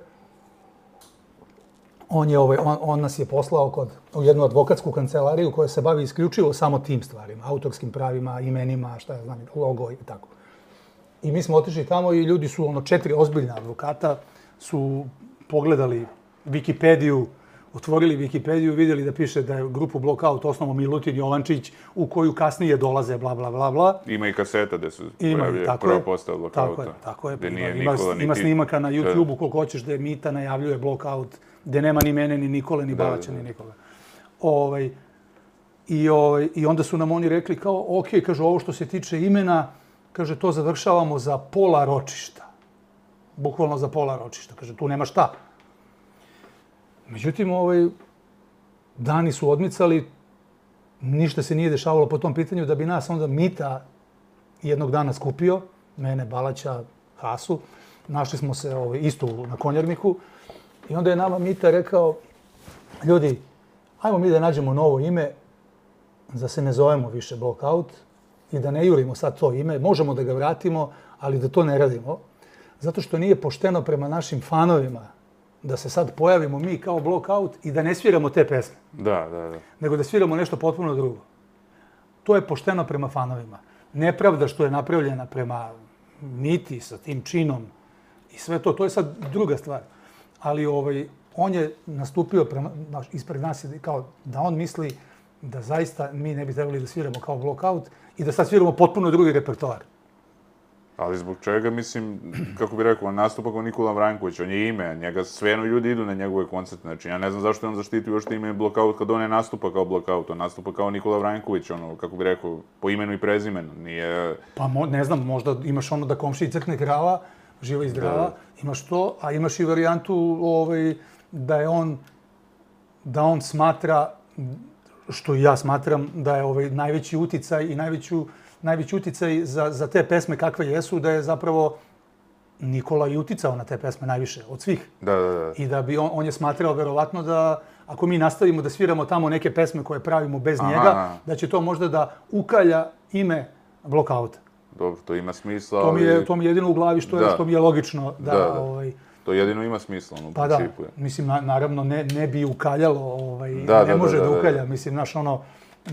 On nas je poslao u jednu advokatsku kancelariju koja se bavi isključivo samo tim stvarima, autorskim pravima, imenima, šta ja znam, logo i tako. I mi smo otišli tamo i ljudi su, 4 ozbiljna advokata su pogledali Wikipediju, otvorili Wikipediju, vidjeli da piše da je grupu Blockout osnovao Milutin Jovančić, u koju kasnije dolaze bla, bla, bla, bla. Ima i kaseta gde se pojavljuje prva postava Blockouta. Tako je. Ima Ima snimaka na YouTube-u koliko hoćeš da je Mita najavljuje Blockout, gde nema ni mene, ni Nikole, ni Balaća, ni Nikole. I onda su nam oni rekli kao, ok, kaže, ovo što se tiče imena, kaže, to završavamo za pola ročišta. Bukvalno za pola ročišta. Kaže, tu nema šta. Međutim, dani su odmicali, ništa se nije dešavalo po tom pitanju, da bi nas onda Mita jednog dana skupio, mene, Balaća, Hasu. Našli smo se isto na Konjarniku. I onda je nama Mita rekao, ljudi, ajmo mi da nađemo novo ime, da se ne zovemo više Blockout i da ne jurimo sad to ime. Možemo da ga vratimo, ali da to ne radimo. Zato što nije pošteno prema našim fanovima da se sad pojavimo mi kao Blockout i da ne sviramo te pesme. Da. Nego da sviramo nešto potpuno drugo. To je pošteno prema fanovima. Nepravda što je napravljena prema Miti sa tim činom i sve to, to je sad druga stvar. Ali on je nastupio ispred nas kao da on misli da zaista mi ne bi trebali da sviramo kao Blockout i da sad sviramo potpuno drugi repertoar. Ali zbog čega, mislim, kako bi rekao, on nastupa kao Nikola Vranković, on je ime, njega sveno ljudi idu na njegove koncerte, znači ja ne znam zašto je on zaštitio još ime Blockout kad on ne nastupa kao Blockout, on nastupa kao Nikola Vranković, kako bi rekao, po imenu i prezimenu, nije... Pa ne znam, možda imaš da komšiji crkne krava, živa i zdrava, imaš to, a imaš i varijantu da on smatra, što i ja smatram, da je najveći uticaj i najveći uticaj za te pesme kakve jesu, da je zapravo Nikola i uticao na te pesme najviše od svih. Da. I da bi on je smatrao verovatno da ako mi nastavimo da sviramo tamo neke pesme koje pravimo bez njega, da će to možda da ukalja ime Blockouta. Dobro, to ima smisla, ali... To mi je jedino u glavi što mi je logično da... To jedino ima smisla, u principu. Mislim, naravno, ne bi ukaljalo, ne može da ukalja. Mislim,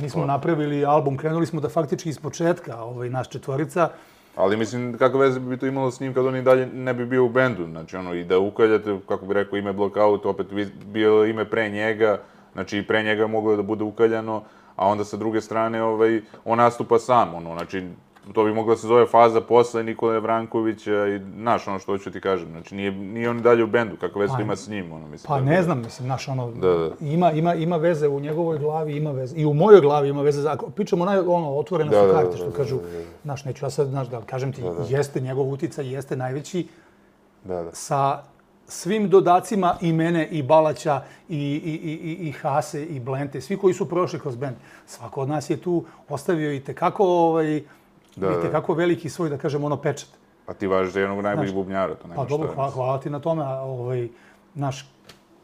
mi smo napravili album, krenuli smo da faktički iz početka, naš četvorica. Ali mislim, kakve veze bi to imalo s njim kad on i dalje ne bi bio u bendu? Znači, i da ukaljate, kako bi rekao, ime Blockout, opet bio ime pre njega, znači i pre njega moglo da bude ukaljano, a onda sa druge strane, on nastupa sam, znači, to bi mogla se zove faza posle Nikole Vrankovića i, znaš, što hoću ti kažem, znači, nije on i dalje u bendu, kakve veze to ima s njim, mislim. Pa ne znam, mislim, znaš, ima veze u njegovoj glavi, ima veze, i u mojoj glavi ima veze, ako pričamo otvoreno su karte, što kažu, znaš, neću ja sad, znaš, da kažem ti, jeste njegov uticaj, jeste najveći, sa svim dodacima i mene, i Balaća, i Hase, i Blente, svi koji su prošli kroz bend. Svako od nas je tu ostavio i tekako veliki svoj, da kažem, pečat. Pa ti važiš za jednog najboljih bubnjara, to nema šta. Pa dobro, hvala ti na tome,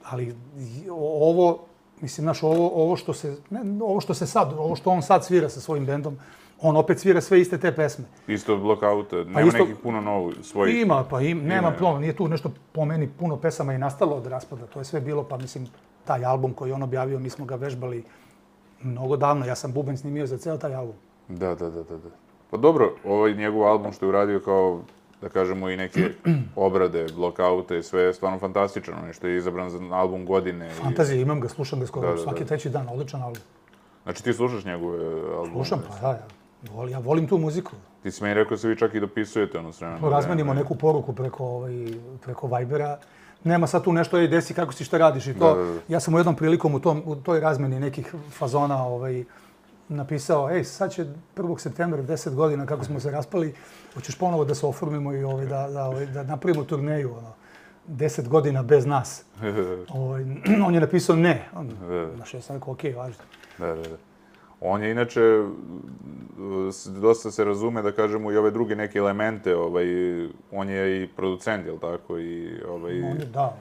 ali ovo što on sad svira sa svojim bendom, on opet svira sve iste te pesme. Isto Blockouta, nema nekih puno novih svojih. Nema puno, nije tu nešto po meni puno pesama i nastalo od raspada, to je sve bilo, pa mislim, taj album koji on objavio, mi smo ga vežbali mnogo davno, ja sam bubanj snimio za ceo taj album. Da. Pa dobro, ovaj njegov album što je uradio kao, da kažemo, i neke obrade, Blockouta i sve je stvarno fantastično. Nešto je izabran za album godine. Fantazija, imam ga, slušam ga skoro svaki treći dan, odličan album. Znači ti slušaš njegove albume? Slušam, pa da, ja volim tu muziku. Ti si meni rekao da se vi čak i dopisujete ono s vremenom. Razmenimo neku poruku preko Vibera. Nema sad tu nešto, desi kako si, šta radiš i to. Ja sam u jednom prilikom u toj razmeni nekih fazona napisao, sad će 1. septembra 10 godina kako smo se raspali, hoćeš ponovo da se oformimo i da napravimo turneju, 10 godina bez nas. On je napisao ne. Znaš, ja sam rekao, okej, važno. Da. On je inače, dosta se razume, da kažemo, i ove druge neke elemente, on je i producent, jel tako? Da,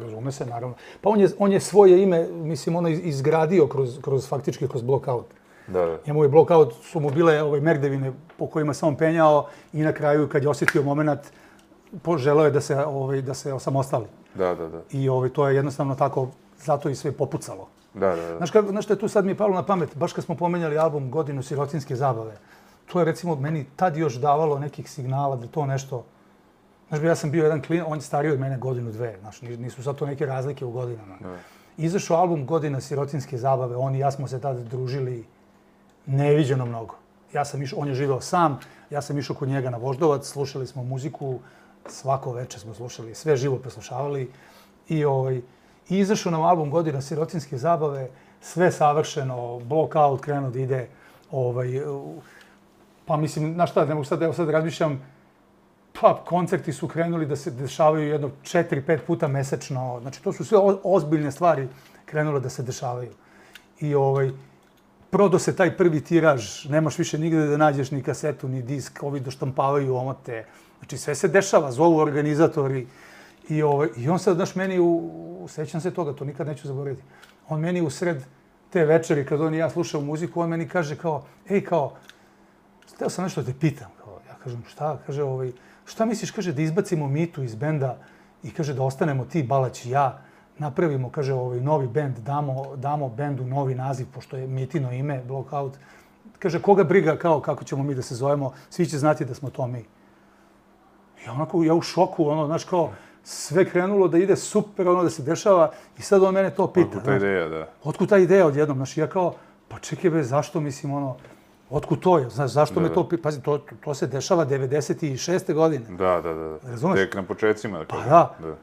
razume se, naravno. Pa on je svoje ime, mislim, izgradio faktički kroz Blockout. Da. Njemu je Blockout, su mu bile merdevine po kojima se on penjao i na kraju, kad je osjetio moment, poželeo je da se osamostali. Da. I to je jednostavno tako, zato i sve popucalo. Da. Znaš što je tu sad mi je palo na pamet, baš kad smo pomenjali album Godinu sirotinjske zabave, to je recimo meni tad još davalo nekih signala da to nešto... Znaš, ja sam bio jedan klinac, on je stariji od mene godinu, dve, znaš, nisu sad to neke razlike u godinama. Izašao album Godina sirotinjske zabave, on i ja smo se tada družili neviđeno mnogo. On je živeo sam, ja sam išao kod njega na Voždovac, slušali smo muziku, svako večer smo slušali, sve živo preslušavali i izašao nam album Godina sirotinjske zabave, sve savršeno, Blockout krenuo da ide, pa mislim, znaš šta, ne mogu sad razmišljam, pa koncerti su krenuli da se dešavaju jedno 4-5 puta mesečno, znači to su sve ozbiljne stvari krenule da se dešavaju. I prodao se taj prvi tiraž, nemaš više nigde da nađeš ni kasetu, ni disk, ovi doštampavaju omote, znači sve se dešava, zovu organizatori. I on sad, znaš, meni, sećam se toga, to nikad neću zaboraviti, on meni u sred te večeri, kad on i ja slušao muziku, on meni kaže kao, hteo sam nešto da te pitam. Ja kažem, šta? Kaže, šta misliš, kaže, da izbacimo Mitu iz benda i kaže da ostanemo ti, Balać i ja, napravimo, kaže, novi bend, damo bendu novi naziv, pošto je Mitino ime, Blockout. Kaže, koga briga, kao, kako ćemo mi da se zovemo, svi će znati da smo to mi. I onako, ja u šoku, znaš, kao, sve krenulo da ide super, da se dešava i sad on mene to pita. Otkud ta ideja, da. Otkud ta ideja odjednom, znaš, ja kao, pa čekaj zašto, mislim, otkud to je, znaš, zašto me to pita, pazi, to se dešava 96. godine. Da. Razumeš? Tek na početcima, da kažem. Pa da.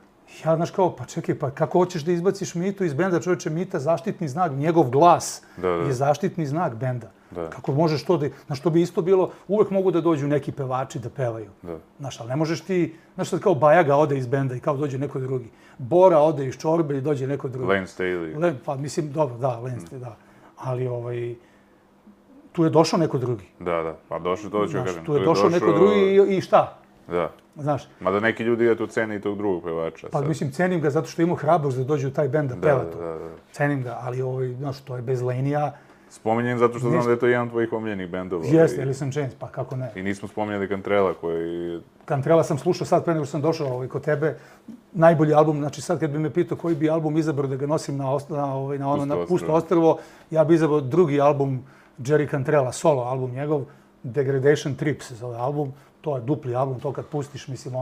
Ja, znaš, kao, pa čekaj, pa kako hoćeš da izbaciš Mitu iz benda, čovječe, Mita, zaštitni znak, njegov glas je zaštitni znak benda. Kako možeš to da, znaš, to bi isto bilo, uvek mogu da dođu neki pevači da pevaju. Znaš, ali ne možeš ti, znaš, sad kao Bajaga ode iz benda i kao dođe neko drugi. Bora ode iz Čorbe i dođe neko drugi. Lane Staley. Pa mislim, dobro, da, Lane Staley, da. Ali, tu je došao neko drugi. Da, pa došao, to ću kažem. Tu je došao neko drugi i šta? Da. Znaš. Mada neki ljudi eto cene i tog drugog pevača. Pa mislim, cenim ga zato što ima hrabrost da dođe u taj bend da peva to. Cenim ga, ali znaš, to je bez Lenija. Spominjem zato što znam da je to jedan od tvojih omiljenih bendova. Jeste, Alice in Chains, pa kako ne. I nismo spominjali Cantrella koji... Cantrella sam slušao sad pre nego što sam došao kod tebe. Najbolji album, znači sad kad bi me pitao koji bi album izabrao da ga nosim na Pusto ostrvo, ja bi izabrao drugi album Jerry Cantrella, solo album njegov, Degradation Trip se zove album. To je dupli album, to kad pustiš, mislim,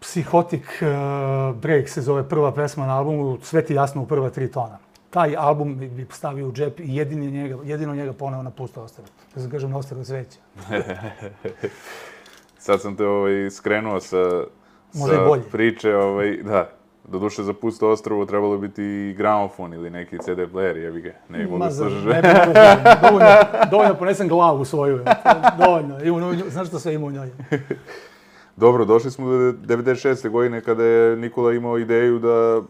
Psychotic Break se zove prva pesma na albumu, sve ti jasno u prva 3 tona. Taj album bi stavio u džep i jedino njega poneo na Pusto ostrvo. Da se kažem, na ostrvo cveća. Sad sam te skrenuo sa priče, da. Doduše za Pusto ostrvo trebalo biti i gramofon ili neki CD player, jebi ga. Ne mogu slušaš. Dovoljno ponesem glavu svoju. Dovoljno. Znaš što sve ima u njoj? Dobro, došli smo do 96. godine kada je Nikola imao ideju da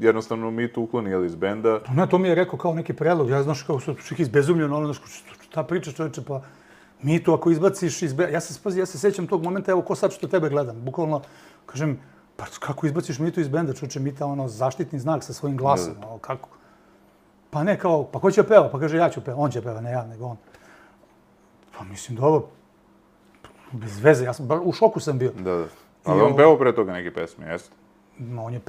jednostavno Mitu ukloni iz benda. Ne, to mi je rekao kao neki predlog. Ja znaš kao čak izbezumljeno, šta pričaš čovječe, pa Mitu ako izbaciš iz benda. Ja se sećam tog momenta, evo ko sad što tebe gledam. Bukvalno, kažem, pa kako izbaciš Mitu iz benda, čuče Mita zaštitni znak sa svojim glasom, kako? Pa ne kao, pa ko će peva? Pa kaže ja ću peva, on će peva, ne ja, nego on. Pa mislim, dobro, bez veze, ja sam, u šoku sam bio. Da. Ali on pevao pre toga neke pesme, jeste? On je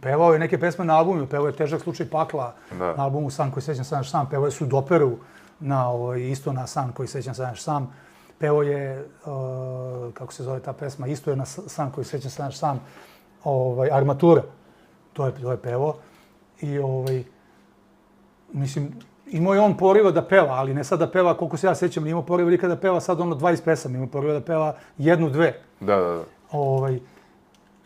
pevao je neke pesme na albumu, pevao je Težak slučaj pakla na albumu San koji sećam sam sam, pevao je Sudoperu isto na San koji sećam sam. Pevao je, kako se zove ta pesma, isto je na San koji sećam sam, Armatura. To je pevao. I Mislim, imao je on poriva da peva, ali ne sad da peva, koliko se ja sećam, nije imao poriva nikad da peva sad 20 pesama, imao poriva da peva 1-2. Da.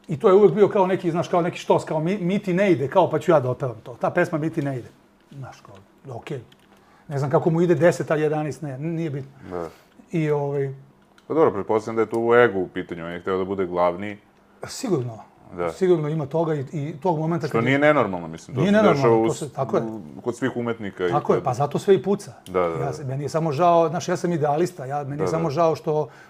I to je uvijek bio kao neki, znaš, kao neki štos, kao mi ti ne ide, kao pa ću ja da otpevam to. Ta pesma mi ti ne ide. Znaš, kao, okej. Ne znam kako mu ide 10, a 11, ne, nije bitno. Da. I Pa dobro, pretpostavljam da je tu ego u pitanju, on je hteo da bude glavni. Sigurno. Da. Sigurno ima toga i tog momenta... Što nije nenormalno, mislim. Nije nenormalno, tako je. Kod svih umetnika. Tako je, pa zato sve i puca. Da. Meni je samo žao, znaš, ja sam idealista, meni je samo žao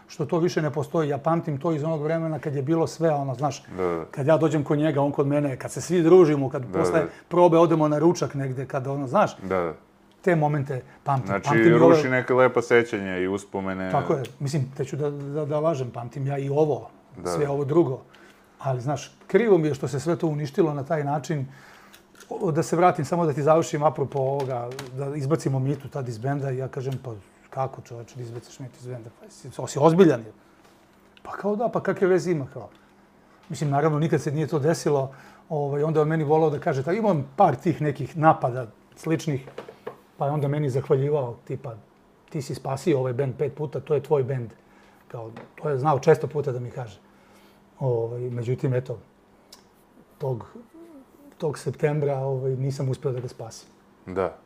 što to više ne postoji. Ja pamtim to iz onog vremena kad je bilo sve, ono, znaš, kad ja dođem kod njega, on kod mene, kad se svi družimo, kad posle probe odemo na ručak negde, kad ono, znaš, te momente pamtim. Znači, ruši neke lepa sećanja i uspomene. Tako je, mislim, te ću da lažem, pamtim ja i ovo, sve ovo drugo. Ali, znaš, krivo mi je što se sve to uništilo na taj način. Da se vratim, samo da ti završim apropo ovoga, da izbacimo Mitu tad iz benda i ja kažem, pa kako čovječe da izbaciš Mitu iz benda? Pa si ozbiljan je. Pa kao da, pa kakve veze ima kao. Mislim, naravno, nikad se nije to desilo. Onda je on meni volao da kaže, imam par tih nekih napada sličnih, pa je onda meni zahvaljivao, tipa, ti si spasio ovaj bend 5 puta, to je tvoj bend. Kao, to je znao često puta da mi kaže. Međutim, eto, tog septembra nisam uspio da ga spasim. Da.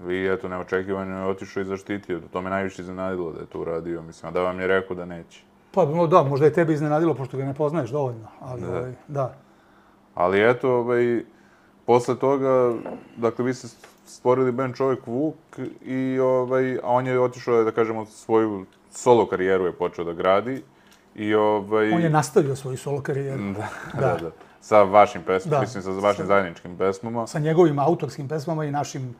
I eto, neočekivano je otišao i zaštitio. To me najviše iznenadilo da je to uradio, mislim, a da vam je rekao da neće. Pa da, možda je tebi iznenadilo, pošto ga ne poznaješ dovoljno, ali da. Ali eto, posle toga, dakle, vi ste stvorili band Čovek Vuk i a on je otišao, da kažemo, svoju solo karijeru je počeo da gradi. On je nastavio svoju solo karijeru. Da. Sa vašim pesmama, mislim, sa vašim zajedničkim pesmama. Sa njegovim autorskim pesmama i našim...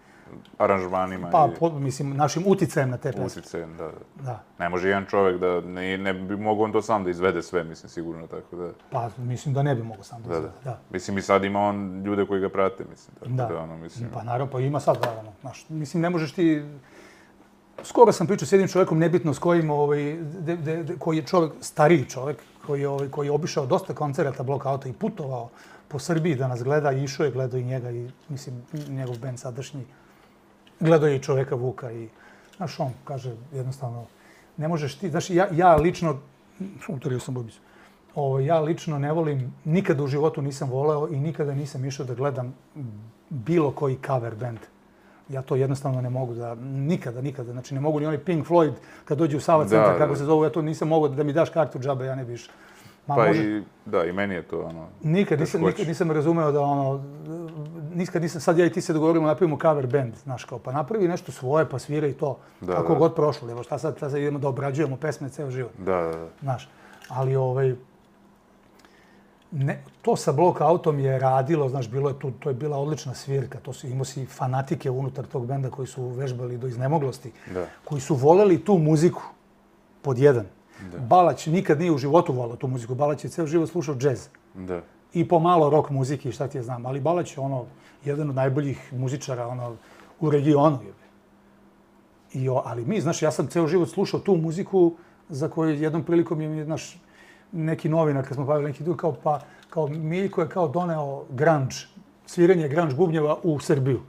aranžmanima. Pa, mislim, našim uticajem na te pesme. Uticajem, da. Ne može jedan čovek da, ne bi mogao on to sam da izvede sve, mislim, sigurno, tako da... Pa, mislim da ne bi mogao sam da izvede, da. Mislim, i sad ima on ljude koji ga prate, mislim, tako da, ono, mislim... Pa, naravno, pa ima sad, naravno, znaš, mislim, ne možeš ti... Skoro sam pričao s jednim čovjekom, nebitno s kojim, koji je čovjek, stariji čovjek, koji je obišao dosta koncerata Blockouta i putovao po Srbiji da nas gleda i išao je, gledao i njega i, mislim, njegov band sadašnji. Gledao je i Čoveka Vuka i, znaš, on kaže jednostavno, ne možeš ti, znaš, ja lično, utorio sam bubicu, ja lično ne volim, nikada u životu nisam voleo i nikada nisam išao da gledam bilo koji cover band. Ja to jednostavno ne mogu da, nikada, znači ne mogu ni onaj Pink Floyd kad dođe u Sava centar, kako se zovu, ja to nisam mogao da mi daš kartu džabe, ja ne bi išao. Pa i meni je to ono... Nikad nisam razumeo da ono, nikad nisam, sad ja i ti se dogovorimo, napravimo cover band, znaš kao, pa napravi nešto svoje, pa svira i to, kako god prošlo, evo šta sad idemo da obrađujemo pesme ceo život. Da. Znaš, ali to sa Blockoutom je radilo, znaš, to je bila odlična svirka, imao si fanatike unutar tog benda koji su vežbali do iznemoglosti, koji su voleli tu muziku, pod jedan. Balać nikad nije u životu volao tu muziku, Balać je ceo život slušao džez. I pomalo rock muzike i šta ti je znam, ali Balać je jedan od najboljih muzičara u regionu. Ali mi, znaš, ja sam ceo život slušao tu muziku za koju jednom prilikom je, znaš, neki novinar, kad smo bavili neki dug, kao Miljko je kao doneo grunge, sviranje grunge bubnjeva u Srbiju.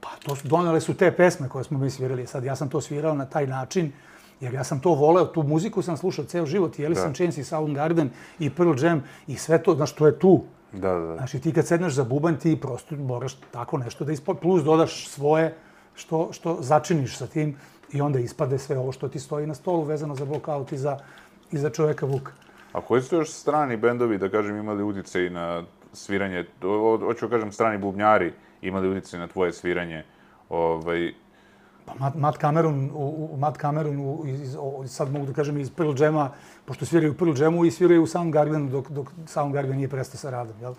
Pa donele su te pesme koje smo mi svirali. Sad ja sam to svirao na taj način, jer ja sam to voleo, tu muziku sam slušao ceo život, i Alice in Chains, i Soundgarden, i Pearl Jam, i sve to, znaš, to je tu. Da. Znači, ti kad sedneš za bubanj, ti prosto moraš tako nešto da plus dodaš svoje, što začiniš sa tim, i onda ispade sve ovo što ti stoji na stolu vezano za Blockout i za Čoveka Vuka. A koji su još strani bendovi, da kažem, imali uticaj na sviranje, hoću kažem, strani bubnjari imali uticaj na tvoje sviranje? Pa Matt Cameron, sad mogu da kažem iz Pearl Jama, pošto sviraju u Pearl Jamu i sviraju u Soundgardenu dok Soundgarden nije prestao sa radom, jel?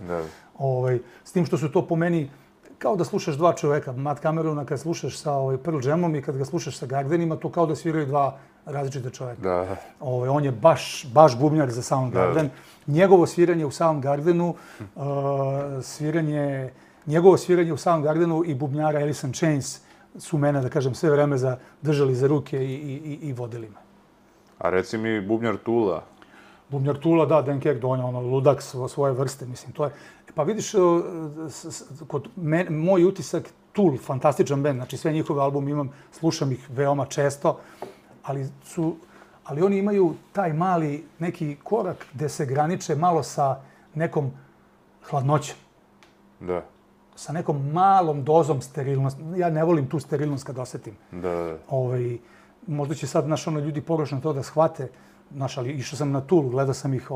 S tim što su to po meni kao da slušaš dva čoveka. Matt Camerona kad slušaš sa Pearl Jamom i kad ga slušaš sa Gardenima, to kao da sviraju dva različita čoveka. On je baš bubnjar za Soundgarden. Njegovo sviranje u Soundgardenu, njegovo sviranje u Soundgardenu i bubnjara Alice in Chains su mene, da kažem, sve vreme držali za ruke i vodili me. A reci mi, bubnjar Tula? Bubnjar Tula, da, Dan Kek, on je ono ludak svoje vrste, mislim, to je... Pa vidiš, moj utisak, Tool, fantastičan bend, znači sve njihove albume imam, slušam ih veoma često, ali oni imaju taj mali neki korak gde se graniče malo sa nekom hladnoćom. Da. Sa nekom malom dozom sterilnosti. Ja ne volim tu sterilnost kad osetim. Da. Možda će sad ljudi pogrešno to da shvate, ali išao sam na Tool, gledao sam ih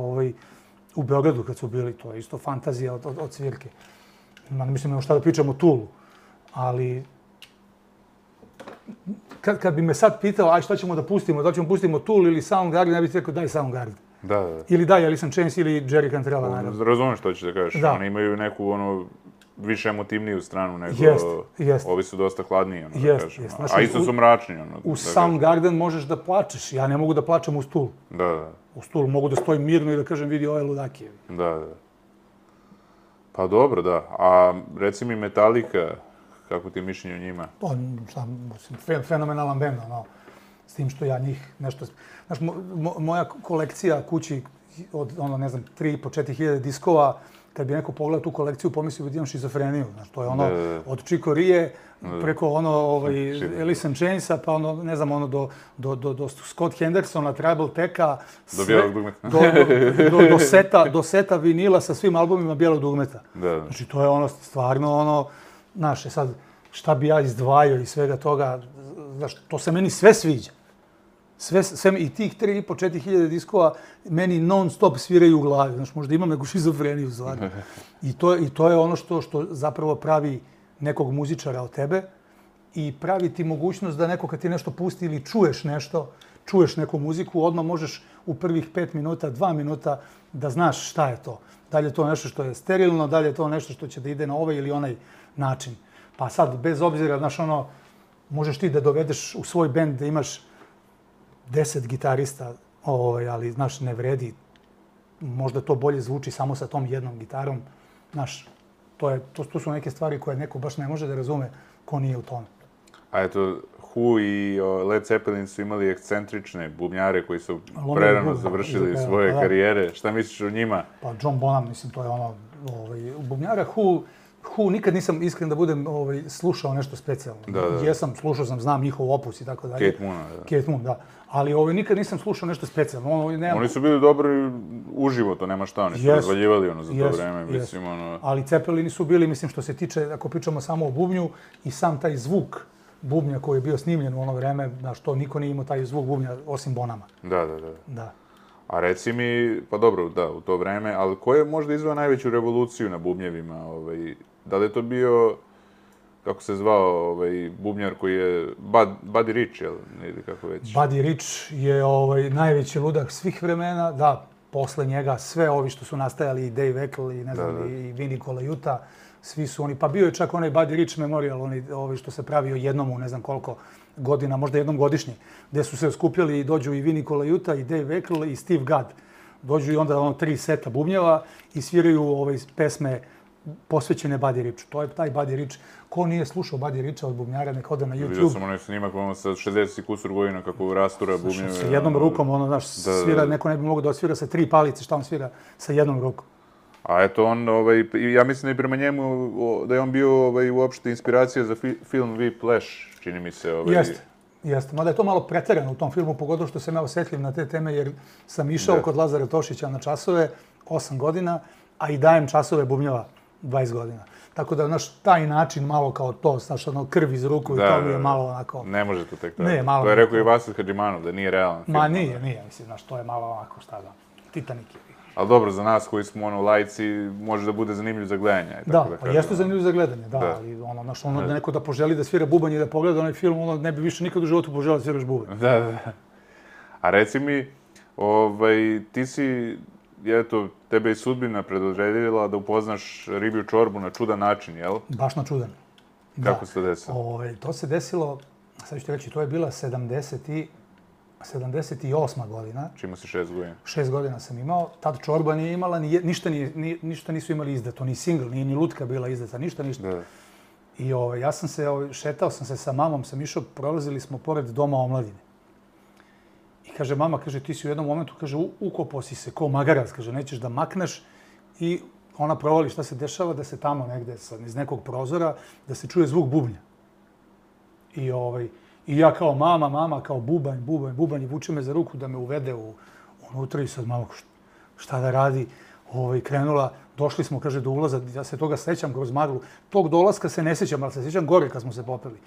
u Beogradu kad su bili, to je isto fantazija od svirke. Mislim, nema šta da pričam o Toolu, ali kad bi me sad pitao, aj šta ćemo da pustimo, da ćemo pustimo Tool ili Soundgarden, ja bih rekao daj Soundgarden. Da. Ili daj Alice in Chains ili Jerry Cantrella, naravno. Razumem što ćeš da kažeš, oni imaju neku više emotivniju stranu nego... Jest. Ovi su dosta hladniji, da kažem. Znači, a isto su mračni, U Soundgarden možeš da plačeš, ja ne mogu da plačem uz Tool. Da. Uz Tool mogu da stojim mirno i da kažem vidi ove ludake. Da. Pa dobro, da. A reci mi Metallica, kako ti je mišljenje o njima? Fenomenalan bend, s tim što ja njih nešto... Znaš, moja kolekcija kući od, 3.500-4 hiljade diskova, kad bi neko pogledao tu kolekciju, pomislio bi imam šizofreniju. Znaš, to je od Chico Rie, preko Alice in Chainsa, pa do Scott Hendersona, Tribal Tech-a, do seta vinila sa svim albumima Bijelog dugmeta. Znači, to je stvarno znaš, sad, šta bi ja izdvajao iz svega toga, znaš, to se meni sve sviđa. I tih 3.500-4 hiljade diskova meni non stop sviraju u glavi. Znaš, možda imam neku šizofreniju stvarno. I to je ono što zapravo pravi nekog muzičara od tebe i pravi ti mogućnost da neko kad ti nešto pusti ili čuješ nešto, čuješ neku muziku, odmah možeš u prvih 5 minuta, 2 minuta da znaš šta je to. Da li je to nešto što je sterilno, da li je to nešto što će da ide na ovaj ili onaj način. Pa sad, bez obzira, znaš, možeš ti da dovedeš u svoj bend da imaš 10 gitarista, ali, znaš, ne vredi. Možda to bolje zvuči samo sa tom jednom gitarom. Znaš, to su neke stvari koje neko baš ne može da razume ko nije u tome. A eto, Who i Led Zeppelin su imali ekscentrične bubnjare koji su prerano završili svoje karijere. Šta misliš o njima? Pa John Bonham, mislim, to je bubnjara Who nikad nisam, iskren da budem, slušao nešto specijalno. Jesam, slušao sam, znam njihov opus i tako dalje. Kate Moon, da. Ali nikad nisam slušao nešto specijalno. Oni su bili dobri uživo, to nema šta, oni su razvaljivali za to vreme, mislim, Ali Zeppelini su bili, mislim, što se tiče, ako pričamo samo o bubnju, i sam taj zvuk bubnja koji je bio snimljen u ono vreme, znaš, to niko nije imao taj zvuk bubnja osim Bonama. Da. A reci mi, pa dobro, da, u to vreme, ali ko je možda izveo najveću revoluciju na bubnjevima? Da li je to bio, kako se zvao, bubnjar koji je Buddy Rich, ili kako već? Buddy Rich je najveći ludak svih vremena, da, posle njega sve ovi što su nastajali, i Dave Eckl, i ne znam, i Vinnie Colaiuta, svi su oni, pa bio je čak onaj Buddy Rich Memorial, ovi što se pravio jednom u ne znam koliko godina, možda jednom godišnje, gde su se skupljali i dođu i Vinnie Colaiuta, i Dave Eckl, i Steve Gadd. Dođu i onda 3 seta bubnjeva i sviraju pesme posvećene Buddy Richu. To je taj Buddy Rich. Ko nije slušao Buddy Richa od bubnjara, nek ode na YouTube. Vidio sam onaj snimak sa 60 kusur godina kako rastura bubnjeve. Sa jednom rukom, znaš, svira, neko ne bi mogao da osvira sa 3 palice, šta on svira sa jednom rukom. A eto on, ja mislim da i prema njemu, da je on bio uopšte inspiracija za film Whiplash, čini mi se. Jeste. Mada je to malo preterano u tom filmu, pogotovo što sam ja osjetljiv na te teme, jer sam išao kod Lazara Tošića na časove 8 godina, a i dajem časove bubnjeva 20 godina. Tako da, znaš, taj način malo kao to, znaš, krv iz ruku i to mi je malo onako... Ne može to tek tako. To je rekao i Vasil Hadžimanov, da nije realan film. Ma nije, mislim, znaš, to je malo onako, šta da, Titanic je. Ali dobro, za nas koji smo lajci, može da bude zanimljiv za gledanje. Da, jeste zanimljiv za gledanje, da, ali znaš, da neko da poželi da svira bubanj i da pogleda onaj film, ne bi više nikad u životu poželao da sviraš bubanj. Da. A reci mi, ti si, eto, tebe i sudbina predodredila da upoznaš ribju čorbu na čudan način, jel? Baš na čudan. Kako se to desilo? To se desilo, sad ću ti reći, to je bila 78. godina. Čima si 6 godina? 6 godina sam imao. Tad čorba nije imala, ništa nisu imali izdato, ni singl, nije ni lutka bila izdata, ništa. I ja sam se, šetao sam se sa mamom, sam išao, prolazili smo pored Doma omladine. I kaže, mama, kaže, ti si u jednom momentu, kaže, ukopao si se ko magarac, kaže, nećeš da makneš i ona provali šta se dešava, da se tamo negde iz nekog prozora, da se čuje zvuk bubnja. I ja kao mama, kao bubanj, i vuče me za ruku da me uvede unutra i sad mama, šta da radi, krenula, došli smo, kaže, do ulaza, ja se toga sećam kroz maglu, tog dolaska se ne sećam, ali se sećam gore kad smo se popeli.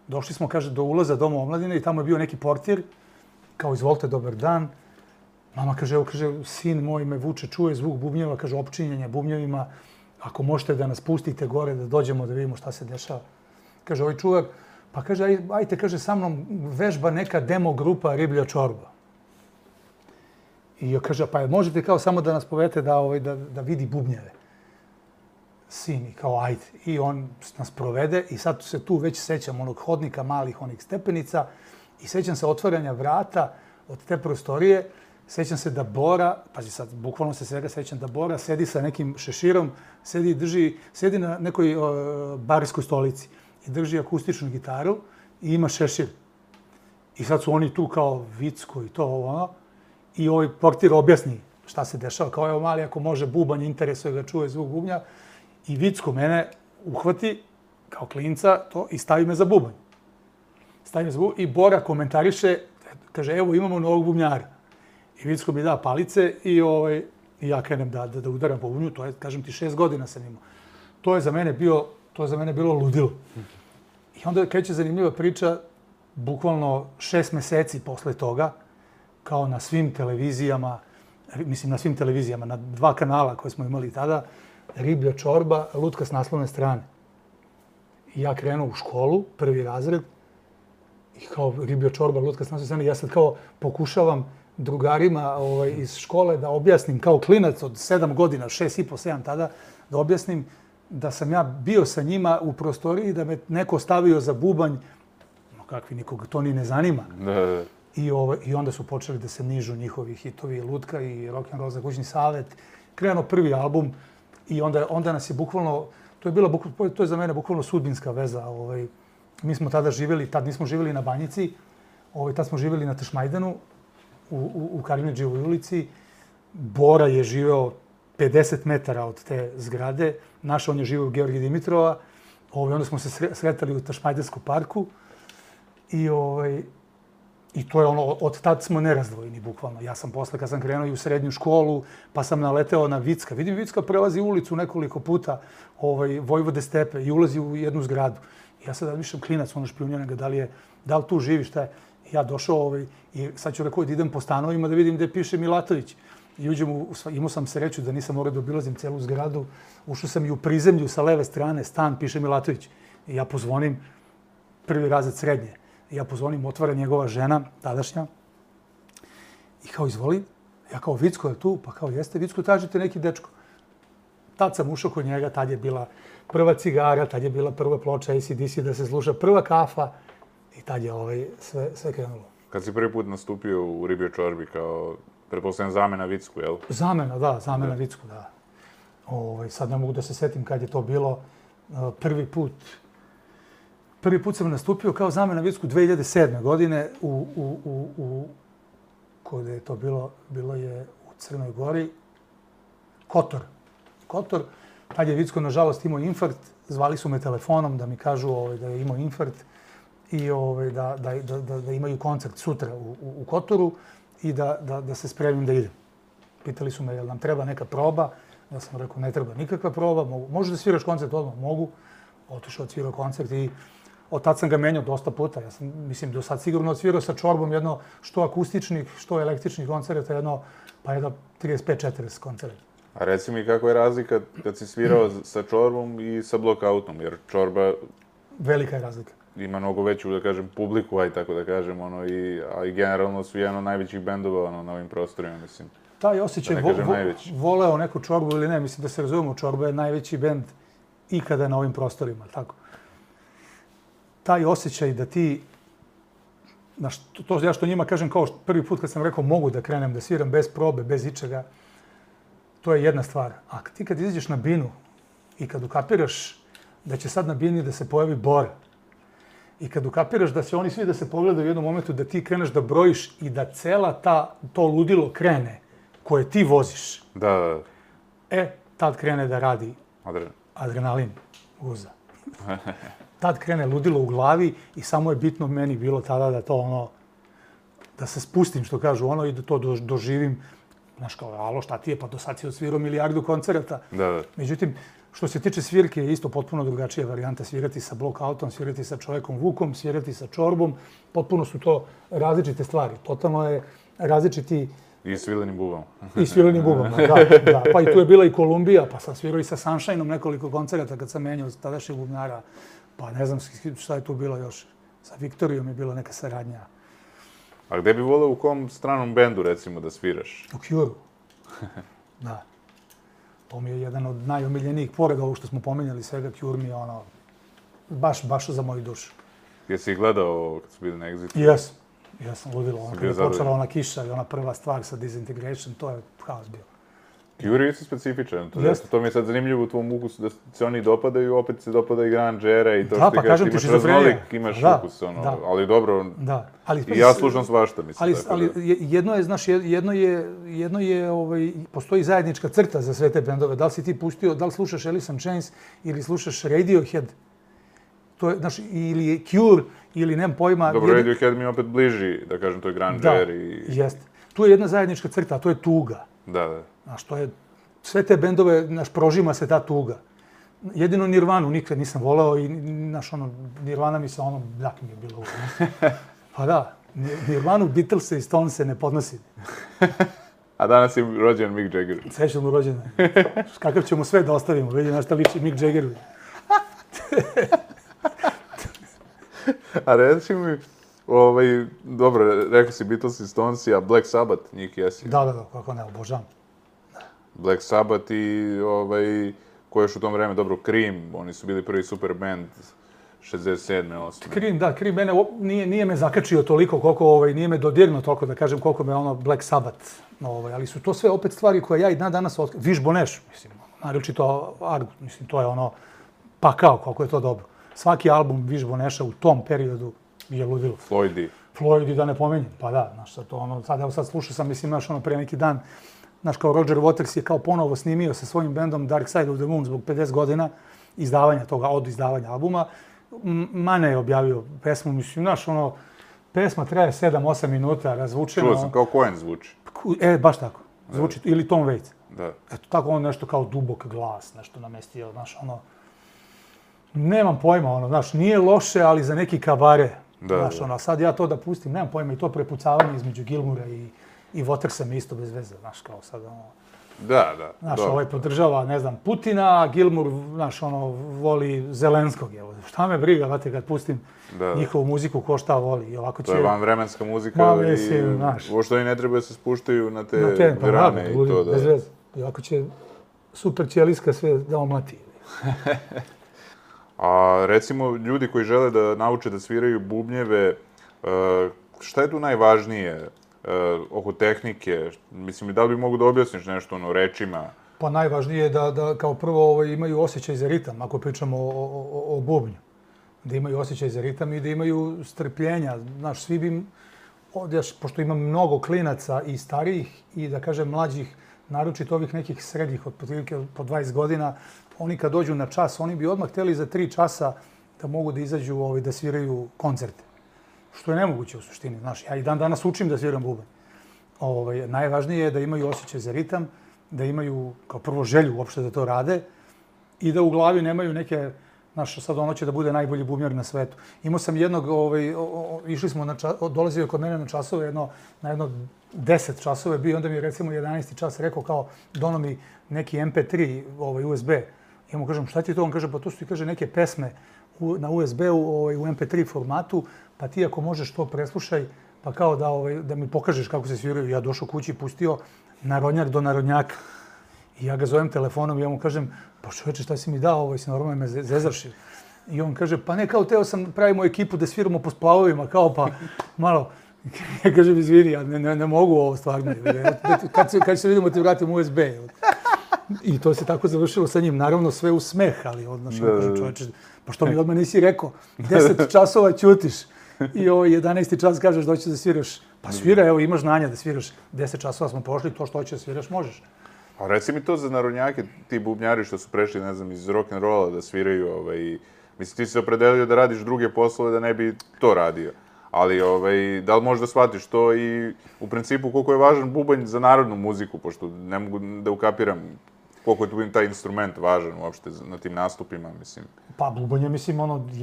Došli smo, kaže, do ulaza Doma omladine i tamo je bio neki portir, kao, izvolite, dobar dan. Mama kaže, evo, kaže, sin moj me vuče, čuje zvuk bubnjeva, kaže, opčinjenje bubnjevima, ako možete da nas pustite gore, da dođemo da vidimo šta se dešava. Kaže, ovaj čuvar, pa kaže, ajte, kaže, sa mnom vežba neka demo grupa Riblja čorba. I ja kaže, pa možete kao samo da nas povedete da vidi bubnjeve. Sin i kao, ajde. I on nas provede i sad se tu već sećam onog hodnika, malih onih stepenica i sećam se otvaranja vrata od te prostorije. Sećam se da Bora, pazi sad, bukvalno se svega sećam da Bora sedi sa nekim šeširom, sedi na nekoj barskoj stolici i drži akustičnu gitaru i ima šešir. I sad su oni tu kao Vicko i to ono. I ovaj portir objasni šta se dešava. Kao, evo mali, ako može bubanj, interesuje ga, čuje zvuk bubnja. I Vicko mene uhvati kao klinca to i stavi me za bubanj. I Bora komentariše, kaže, evo imamo novog bubnjara. I Vicko mi da palice i ja krenem da udaram po bubnju. To je, kažem ti, 6 godina sam imao. To je za mene bilo ludilo. I onda kreće zanimljiva priča, bukvalno 6 meseci posle toga, kao na svim televizijama, na 2 kanala koje smo imali tada, Riblja čorba, lutka s naslovne strane. I ja krenuo u školu, 1. razred, i kao Riblja čorba, lutka s naslovne strane, ja sad kao pokušavam drugarima iz škole da objasnim, kao klinac od 7 godina, 6,5, 7 tada, da objasnim da sam ja bio sa njima u prostoriji, da me neko stavio za bubanj, no kakvi, nikoga to ni ne zanima. I onda su počeli da se nižu njihovi hitovi, Lutka i Rock'n'Roll za kućni savet. Krenuo prvi album i onda nas je bukvalno, to je za mene bukvalno sudbinska veza. Mi smo tada živjeli, tad nismo živjeli na Banjici, tad smo živjeli na Tešmajdanu, u Karimedžijevoj ulici. Bora je živeo 50 metara od te zgrade, on je živio u Georgija Dimitrova, onda smo se sretali u Tešmajdanskom parku i to je ono, od tad smo nerazdvojeni, bukvalno. Ja sam posle, kad sam krenuo i u srednju školu, pa sam naleteo na Vicka. Vidim, Vicka prelazi ulicu nekoliko puta, Vojvode stepe, i ulazi u jednu zgradu. Ja sad razmišljam, klinac, ono špijunjena ga, da li tu živi, šta je. Ja došao i sad ću rekao da idem po stanovima da vidim gde piše Milatović. I imao sam sreću da nisam morao da obilazim celu zgradu. Ušao sam i u prizemlju sa leve strane, stan, piše Milatović. I ja pozvonim, 1. razred srednje. Ja pozvonim, otvara njegova žena, tadašnja. I kao, izvoli. Ja kao, Vicko je tu? Pa kao, jeste, Vicko, tražite neki dečko. Tad sam ušao kod njega, tad je bila prva cigara, tad je bila prva ploča AC/DC da se sluša, prva kafa. I tad je sve krenulo. Kad si prvi put nastupio u Ribljoj čorbi kao, pretpostavljam, zamena Vicku, jel? Zamena Vicku, da. Sad ne mogu da se setim kad je to bilo prvi put. Prvi put sam nastupio kao zamena Vicku 2007. godine kod je to bilo je u Crnoj Gori, Kotor. Tad je Vicko, nažalost, imao infarkt. Zvali su me telefonom da mi kažu da je imao infarkt i da imaju koncert sutra u Kotoru i da se spremim da idem. Pitali su me, jel nam treba neka proba? Ja sam rekao, ne treba nikakva proba. Može da sviraš koncert odmah? Mogu. Otišao, odsvirao koncert i od tad sam ga menjao dosta puta. Ja sam, mislim, do sad sigurno odsvirao sa čorbom jedno što akustičnih, što električnih koncerta, jedno 35-40 koncerta. A reci mi kako je razlika kad si svirao sa čorbom i sa blokautom, jer čorba... Velika je razlika. Ima mnogo veću, da kažem, publiku, aj tako da kažem, a i generalno su jedan od najvećih bendova na ovim prostorima, mislim. Taj osjećaj, voleo neku čorbu ili ne, mislim da se razumemo, čorba je najveći bend ikada na ovim prostorima, tako. Taj osjećaj da ti, to ja što njima kažem kao prvi put kad sam rekao mogu da krenem da sviram bez probe, bez ičega, to je jedna stvar. A ti kad izađeš na binu i kad ukapiraš da će sad na bini da se pojavi Bora I kad ukapiraš da se oni svi da se pogledaju u jednom momentu, da ti kreneš da brojiš i da cela to ludilo krene koje ti voziš, Da. tad krene da radi adrenalin guza. Tad krene ludilo u glavi i samo je bitno meni bilo tada da to da se spustim, što kažu, i da to doživim. Znaš, kao, alo, šta ti je, pa do sad si odsvirao milijardu koncerata. Da. Međutim, što se tiče svirke, je isto potpuno drugačija varijanta. Svirati sa blockoutom, svirati sa čovekom Vukom, svirati sa čorbom. Potpuno su to različite stvari. Totalno je različiti... I svilenim bubama. I svilenim bubama, da. Pa i tu je bila i Kolumbija, pa sam svirao i sa Sunshineom nekoliko koncerata kad sam menjao tadašnjeg bubnjara. Pa ne znam šta je tu bilo još. Sa Viktorijom je bila neka saradnja. A gde bi voleo u kom stranom bendu, recimo, da sviraš? U Cure-u. Da. To mi je jedan od najomiljenijih, pored ovog što smo pominjali svega, Cure mi je baš za moju dušu. Jesi ih gledao kad su bili na Exitu? Jesam, ludilo. Kada je počela ona kiša i ona prva stvar sa Disintegration, to je haos bio. Cure je isto specifičan. To mi je sad zanimljivo u tvom ukusu, da se oni dopadaju, opet se dopada i Grangera i to što ti kažeš, imaš raznolik, imaš ukus, ali dobro, i ja slušam svašta, mislim. Ali jedno je, znaš, jedno je, postoji zajednička crta za sve te bendove. Da li si ti pustio, da li slušaš Alice in Chains ili slušaš Radiohead, to je, znaš, ili Cure, ili nemam pojma... Dobro, Radiohead mi je opet bliži, da kažem, to je Granger i... Da, jeste. Tu je jedna zajednička crta, a to je tuga. Da. Znaš, to je, sve te bendove, znaš, prožima se ta tuga. Jedino Nirvanu nikad nisam voleo i, znaš, Nirvana mi se bljak mi je bilo uvijek. Pa da, Nirvanu, Beatlese i Stonese ne podnosi. A danas je rođen Mick Jagger. Srećan mu rođendan. Kakav ćemo sve da ostavimo, vidi na šta liči Mick Jaggeru. A reći mi, dobro, rekao si Beatles i Stones, a Black Sabbath, njih jesi? Da, kako ne, obožavam. Black Sabbath i ko još u tom vreme, dobro, Cream, oni su bili prvi super band 67. 8. Cream mene nije me zakačio toliko koliko, nije me dodirnuo toliko, da kažem, koliko me Black Sabbath, ali su to sve opet stvari koje ja i danas otkrivam. Wish Bonesh, mislim, naročito Argus, mislim, to je pakao koliko je to dobro. Svaki album Wish Bonesha u tom periodu je ludilo. Floydi, da ne pominjem, pa da, znaš, sad slušao sam, mislim, znaš, pre neki dan, znaš, kao Roger Waters je kao ponovo snimio sa svojim bendom Dark Side of the Moon zbog 50 godina od izdavanja albuma. Mane je objavio pesmu, mislim, znaš, pesma traje 7-8 minuta, razvučeno. Čuo sam, kao Cohen zvuči. Baš tako, zvuči, ili Tom Waits. Da. Eto, tako nešto kao dubok glas, nešto namestio, znaš, nemam pojma, znaš, nije loše, ali za neki kabare. Znaš, sad ja to da pustim, nemam pojma, i to prepucavanje između Gilmoura i Watersa mi isto bez veze, znaš, kao sad, Da. Znaš, ovaj podržava, ne znam, Putina, a Gilmour, znaš, voli Zelenskog, evo. Šta me briga, znate, kad pustim njihovu muziku, ko šta voli, i ovako će... To je vanvremenska muzika i uopšte oni ne treba da se spuštaju na te grane i to, da... Bez veze. I ovako će super ćeliska sve da omlati. A recimo, ljudi koji žele da nauče da sviraju bubnjeve, šta je tu najvažnije oko tehnike? Mislim, da li bi mogu da objasniš nešto rečima? Pa najvažnije je da kao prvo imaju osjećaj za ritam, ako pričamo o bubnju. Da imaju osjećaj za ritam i da imaju strpljenja. Znaš, svi bi, pošto ima mnogo klinaca i starijih i, da kažem, mlađih, naročito ovih nekih srednjih, od po 20 godina, oni kad dođu na čas, oni bi odmah htjeli za 3 časa da mogu da izađu, da sviraju koncerte. Što je nemoguće u suštini. Znaš, ja i dan danas učim da sviram bubanj. Najvažnije je da imaju osjećaj za ritam, da imaju kao prvo želju uopšte da to rade i da u glavi nemaju neke, znaš, sad ono će da bude najbolji bubnjar na svetu. Imao sam jednog, išli smo, dolazio je kod mene na časove, na jedno 10 časove bio, onda mi je recimo 11. čas rekao kao dono mi neki MP3 USB. Ja mu kažem, šta ti je to? On kaže, pa to su ti, kaže, neke pesme na USB-u u MP3 formatu, pa ti ako možeš to preslušaj, pa kao da mi pokažeš kako se sviraju. Ja došao kući i pustio narodnjak do narodnjaka. I ja ga zovem telefonom i ja mu kažem, pa čoveče, šta si mi dao, si normalno me zezaršio. I on kaže, pa ne, kao teo sam, pravimo ekipu da sviramo po splavovima, kao pa malo. Ja kažem, izvini, ja ne mogu ovo stvarno. Kad se vidimo ti vratim USB. I to se tako završilo sa njim. Naravno, sve u smeh, ali odnaš, kaže čoveče, pa što mi odmah nisi rekao, 10 časova ćutiš i 11. čas kažeš da hoćeš da sviraš. Pa svira, evo, imaš znanja da sviraš. 10 časova smo prošli, to što hoćeš da sviraš, možeš. A reci mi to za narodnjake, ti bubnjari što su prešli, ne znam, iz rock'n'rolla da sviraju, mislim, ti si se opredelio da radiš druge poslove da ne bi to radio. Ali, da li možeš da shvatiš to i u principu koliko je važan bubanj za narodnu muziku, pošto ne mogu da ukapiram koliko je tu taj instrument važan uopšte na tim nastupima, mislim. Pa bubanj je, mislim,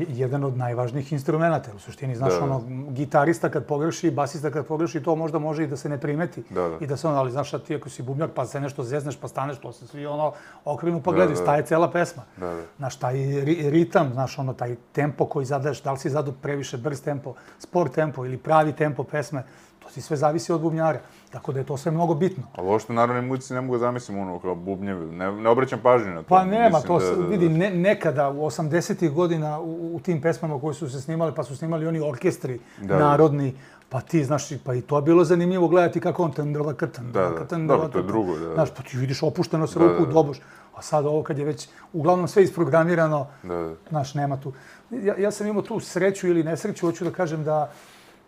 jedan od najvažnijih instrumenta. U suštini, znaš, gitarista kad pogreši, basista kad pogreši, to možda može i da se ne primeti. I da se ali znaš, ti ako si bubnjar, pa se nešto zezneš, pa staneš, to se svi okrenu pa gledaju, staje cela pesma. Znaš, taj ritam, znaš, taj tempo koji zadaješ, da li si zadao previše brz tempo, spor tempo ili pravi tempo pesme, to si sve zavisi od bubnjara. Tako da je to sve mnogo bitno. Ali ovo što u narodnoj muzici ne mogu da zamislim kao bubnjevi, ne obraćam pažnju na to. Pa nema, to vidi, nekada u 80-ih godina u tim pesmama koje su se snimali, pa su snimali oni orkestri narodni, pa ti, znaš, pa i to je bilo zanimljivo gledati kako on tendrla krtan. Dobro, to je drugo, da. Znaš, pa ti vidiš opušteno se ruku u doboš, a sad ovo kad je već uglavnom sve isprogramirano, znaš, nema tu. Ja sam imao tu sreću ili nesreću, hoću da kažem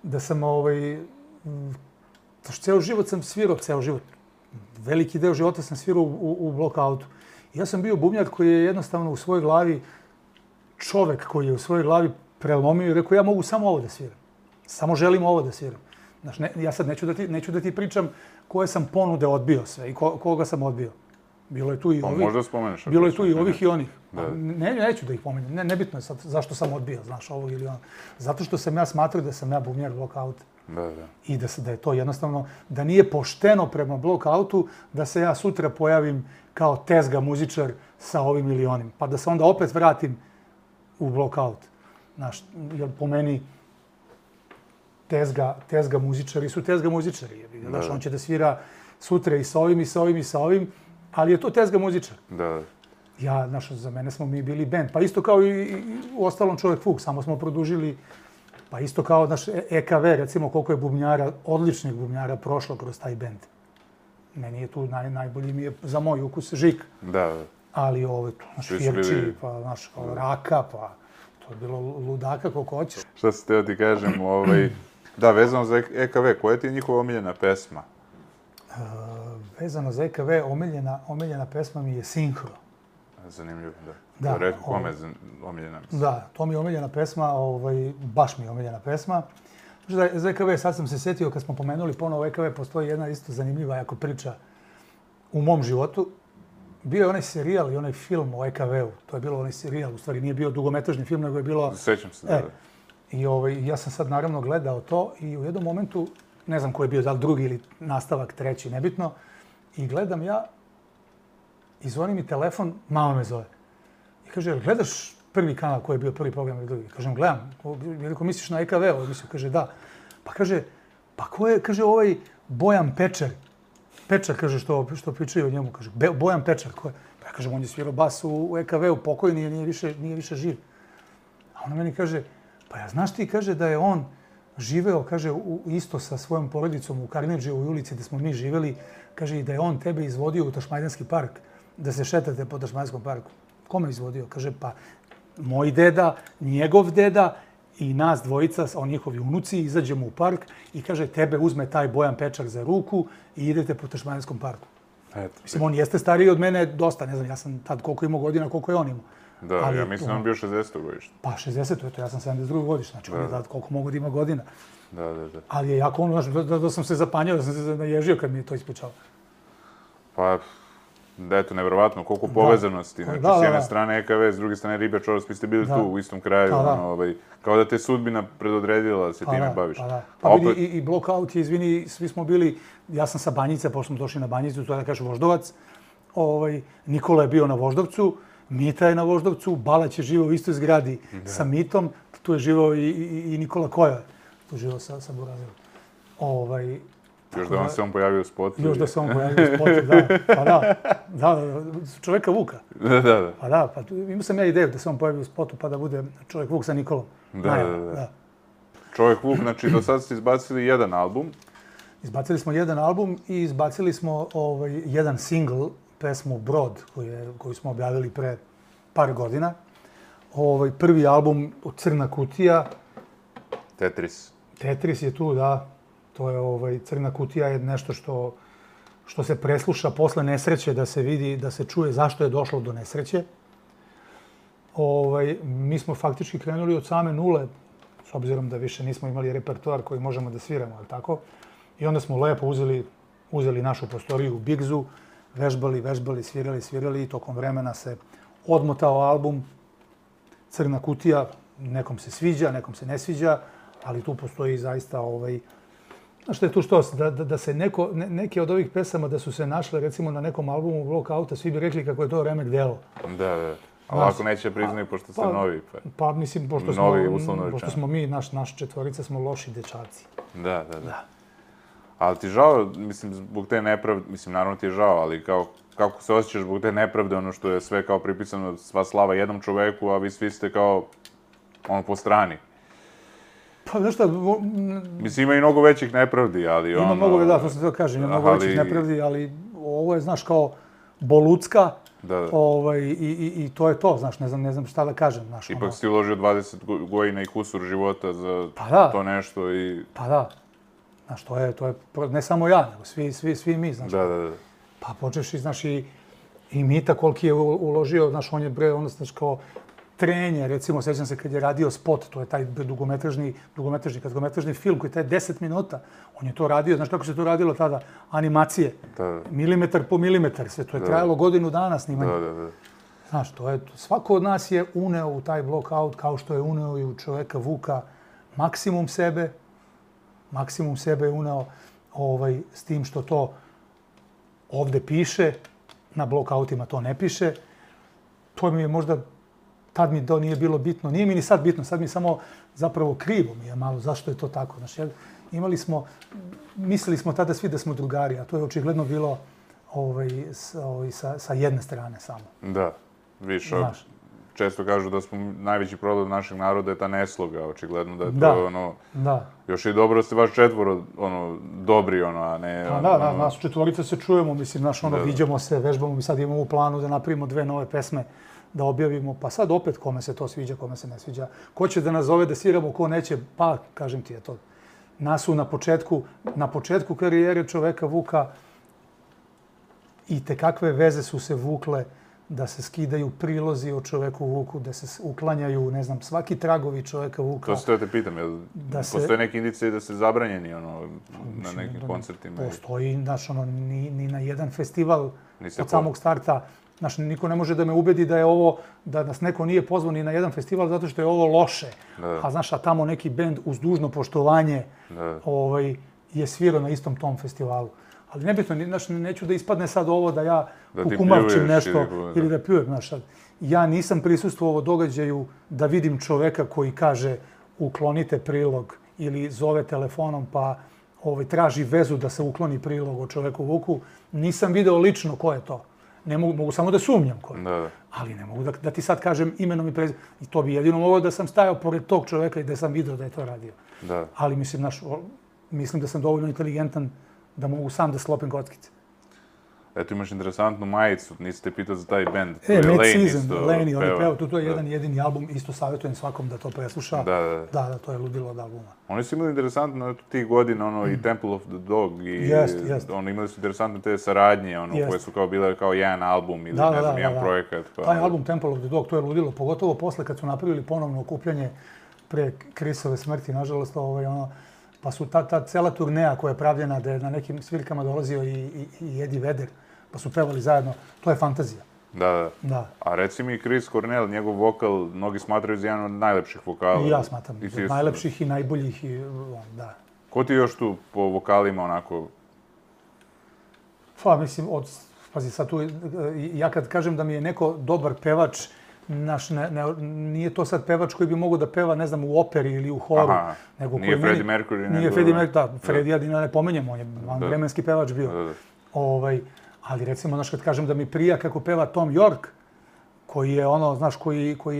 da sam ceo život sam svirao, ceo život. Veliki deo života sam svirao u blokautu. Ja sam bio bubnjar koji je jednostavno u svojoj glavi, čovek koji je u svojoj glavi prelomio i rekao ja mogu samo ovo da sviram. Samo želim ovo da sviram. Znaš, ja sad neću da ti pričam koje sam ponude odbio sve i koga sam odbio. Bilo je tu i ovih. Možda spomeneš. Bilo je tu i ovih i onih. Neću da ih pomenem. Nebitno je sad zašto sam odbio, znaš, ovog ili ono. Zato što sam ja smatrao da sam ja bubnjar blokauta. I da je to jednostavno, da nije pošteno prema blokautu, da se ja sutra pojavim kao tezga muzičar sa ovim ili onim. Pa da se onda opet vratim u blokaut. Znaš, jer po meni tezga muzičari su tezga muzičari. Znaš, on će da svira sutra i sa ovim, i sa ovim, i sa ovim, ali je to tezga muzičar. Ja, znaš, za mene smo mi bili band. Pa isto kao i u ostalom Čovek Vuk, samo smo produžili. Pa isto kao naš EKV, recimo koliko je bubnjara, odličnih bubnjara prošlo kroz taj bend. Meni je tu najbolji mi je za moj ukus Žik. Ali naš Firči, pa naš Raka, pa to je bilo ludaka koliko hoćeš. Šta se teo ti kažem, da, vezano za EKV, koja ti je njihova omiljena pesma? Vezano za EKV, omiljena pesma mi je Sinhro. Zanimljivo, da. Rekao kome je omiljena pesma? Da, to mi je omiljena pesma, baš mi je omiljena pesma. Za EKV, sad sam se setio, kad smo pomenuli ponovo EKV, postoji jedna isto zanimljiva jako priča u mom životu. Bio je onaj serijal i onaj film o EKV-u. To je bilo onaj serijal, u stvari nije bio dugometražni film, nego je bilo... Sećam se, da. I ja sam sad naravno gledao to i u jednom momentu, ne znam ko je bio, da li drugi ili nastavak, treći, nebitno, i gledam ja i zvoni mi telefon, mama me zove. I kaže, gledaš prvi kanal koji je bio prvi program ili drugi? Kažem, gledam. Veliko misliš na EKV emisiju? Kaže, da. Pa kaže, pa ko je, kaže, ovaj Bojan Pečar. Pečar, kaže, što pričaju o njemu. Kaže, Bojan Pečar, ko je? Pa ja kažem, on je svirao bas u EKV-u, pokojni, nije više živ. A ona meni kaže, pa ja znaš ti, kaže, da je on živeo, kaže, isto sa svojom porodicom u Karnedžijevoj ulici gde smo mi živeli, kaže, i da je on tebe izvodio u Tašmajdanski park, da se šetate po Tašmajdanskom parku. Kome izvodio? Kaže, pa moj deda, njegov deda i nas dvojica, njihovi unuci, izađemo u park i kaže, tebe uzme taj Bojan Pečar za ruku i idete po Tašmajdanskom parku. Mislim, on jeste stariji od mene dosta, ne znam, ja sam tad koliko imao godina, koliko je on imao. Da, ja mislim da on bio 60. godište. Pa 60. eto, ja sam 72. godište, znači on je tad koliko mogu da ima godina. Da. Ali je jako ono, da sam se zapanjao, da sam se naježio kad mi je to ispričao. Pa, da eto, nevjerovatno, koliko povezanosti. Znači, s jedne strane EKV, s druge strane Riba Čoros, vi ste bili tu u istom kraju, kao da te sudbina predodredila da se time baviš. Pa vidi, i Blockout je, izvini, svi smo bili, ja sam sa Banjice, pošto smo došli na Banjicu, to je da kažeš Voždovac, Nikola je bio na Voždovcu, Mita je na Voždovcu, Balać je živao u istoj zgradi sa Mitom, tu je živao i Nikola Koja, tu je živao sa Burazilom. Još da vam se on pojavio u spotu. Još da se on pojavio u spotu, da. Pa da, čoveka Vuka. Da. Pa da, pa imao sam ja ideju da se on pojavi u spotu pa da bude čovjek Vuk sa Nikolom. Da. Čovjek Vuk, znači do sad ste izbacili jedan album. Izbacili smo jedan album i izbacili smo jedan singl pesmu Brod, koju smo objavili pre par godina. Prvi album Crna kutija. Tetris. Tetris je tu, da. To je, Crna kutija je nešto što se presluša posle nesreće, da se vidi, da se čuje zašto je došlo do nesreće. Mi smo faktički krenuli od same nule, s obzirom da više nismo imali repertoar koji možemo da sviramo, ali tako. I onda smo lepo uzeli našu prostoriju u Bigzu, vežbali, svirali i tokom vremena se odmotao album Crna kutija. Nekom se sviđa, nekom se ne sviđa, ali tu postoji zaista znaš što je tu što? Da se neke od ovih pesama da su se našle recimo na nekom albumu Blockouta, svi bi rekli kako je to remek delo. Da. Ali ako neće priznaju, pošto ste novi. Pa mislim, pošto smo mi, naš četvorica, smo loši dečaci. Da. Ali ti žao, mislim, zbog te nepravde, mislim, naravno ti je žao, ali kako se osjećaš zbog te nepravde, ono što je sve kao pripisano, sva slava jednom čoveku, a vi svi ste kao, po strani. Pa, znaš šta... Mislim, ima i mnogo većih nepravdi, ali Ima mnogo, da, to sam to kažem, ima mnogo većih nepravdi, ali ovo je, znaš, kao bolucka. I to je to, znaš, ne znam šta da kažem. Ipak si uložio 20 godina i kusur života za to nešto i... Pa da. Znaš, to je, ne samo ja, nego svi mi, znaš. Da. Pa počeš i, znaš, i Mita koliki je uložio, znaš, on je znaš, kao Trenje, recimo, sjećam se kad je radio Spot, to je taj dugometražni film koji je taj 10 minuta. On je to radio, znaš kako se to radilo tada? Animacije. Milimetar po milimetar, sve to je trajalo godinu dana snimanje. Da. Znaš, svako od nas je uneo u taj Blockout kao što je uneo i u čoveka Vuka maksimum sebe je uneo s tim što to ovde piše, na Blockoutima to ne piše. To mi je možda, tad mi to nije bilo bitno, nije mi ni sad bitno, sad mi je samo zapravo krivo mi je malo zašto je to tako. Znaš, mislili smo tada svi da smo drugari, a to je očigledno bilo sa jedne strane samo. Da, više. Često kažu da smo najveći problem našeg naroda je ta nesloga, očigledno da je to još i dobro da ste baš četvoro dobri, a ne... Da, nas četvorica se čujemo, mislim, viđamo se, vežbamo, mi sad imamo u planu da napravimo 2 nove pesme, da objavimo, pa sad opet kome se to sviđa, kome se ne sviđa. Ko će da nas zove da sviramo, ko neće, pa, kažem ti, je to. Nas su na početku karijere čoveka Vuka i tekakve veze su se vukle da se skidaju prilozi o čoveku Vuku, da se uklanjaju, ne znam, svaki tragovi čoveka Vuka. To se te pitam, postoje neke indicije da se zabranjeni na nekim koncertima? Postoji, znaš, ni na jedan festival od samog starta. Znaš, niko ne može da me ubedi da je ovo, da nas neko nije pozvao ni na jedan festival zato što je ovo loše. A znaš, a tamo neki bend uz dužno poštovanje je svirao na istom tom festivalu. Ali nebitno, neću da ispadne sad ovo da ja kukumavčim nešto ili da pljujem. Ja nisam prisustvovao događaju da vidim čoveka koji kaže uklonite prilog ili zove telefonom pa traži vezu da se ukloni prilog o čoveku Vuku. Nisam video lično ko je to. Ne mogu samo da sumnjam ko je. Ali ne mogu da ti sad kažem imenom i prezimenom. I to bi jedino moglo da sam stajao pored tog čoveka i da sam video da je to radio. Ali mislim da sam dovoljno inteligentan da mogu sam da sklopim kockice. Eto, imaš interesantnu majicu, nisi te pitao za taj bend. Lane, on je peo, to je jedan jedini album, isto savjetujem svakom da to presluša. Da, to je ludilo od albuma. Oni su imali interesantno tih godina, i Temple of the Dog, i imali su interesantne te saradnje, koje su kao bile kao jedan album ili ne znam, jedan projekat. Taj album Temple of the Dog, to je ludilo, pogotovo posle kad su napravili ponovno okupljanje pre Chrisove smrti, nažalost, pa su ta cela turneja koja je pravljena, da je na nekim svirkama dolazio i Eddie Vedder, pa su pevali zajedno. To je fantazija. Da. A reci mi Chris Cornell, njegov vokal, mnogi smatraju za jedan od najlepših vokala. I ja smatram, od najlepših i najboljih. Da. Ko ti još tu po vokalima onako? Pa mislim, pazi sad tu, ja kad kažem da mi je neko dobar pevač, nije to sad pevač koji bi mogao da peva, ne znam, u operi ili u horu. Nije Freddie Mercury. Nije Freddie Mercury, da. Freddie Adina ne pomenjemo, on je vanvremenski pevač bio. Ali recimo, znaš, kad kažem da mi prija kako peva Tom York, koji je znaš, koji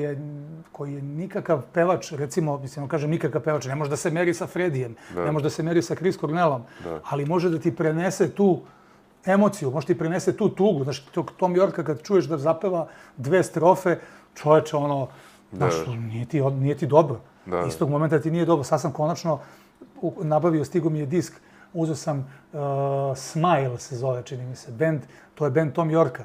je nikakav pevač, recimo, mislim, kažem nikakav pevač, ne može da se meri sa Fredijem, ne može da se meri sa Chris Cornellom, ali može da ti prenese tu emociju, može ti prenese tu tugu. Znaš, Tom Yorka kad čuješ da zapeva 2 strofe, čoveče, ono, znaš, nije ti dobro. Istog momenta ti nije dobro. Sad sam konačno nabavio, stigo mi je disk, uzeo sam Smile se zove, čini mi se, band, to je band Tom Yorka.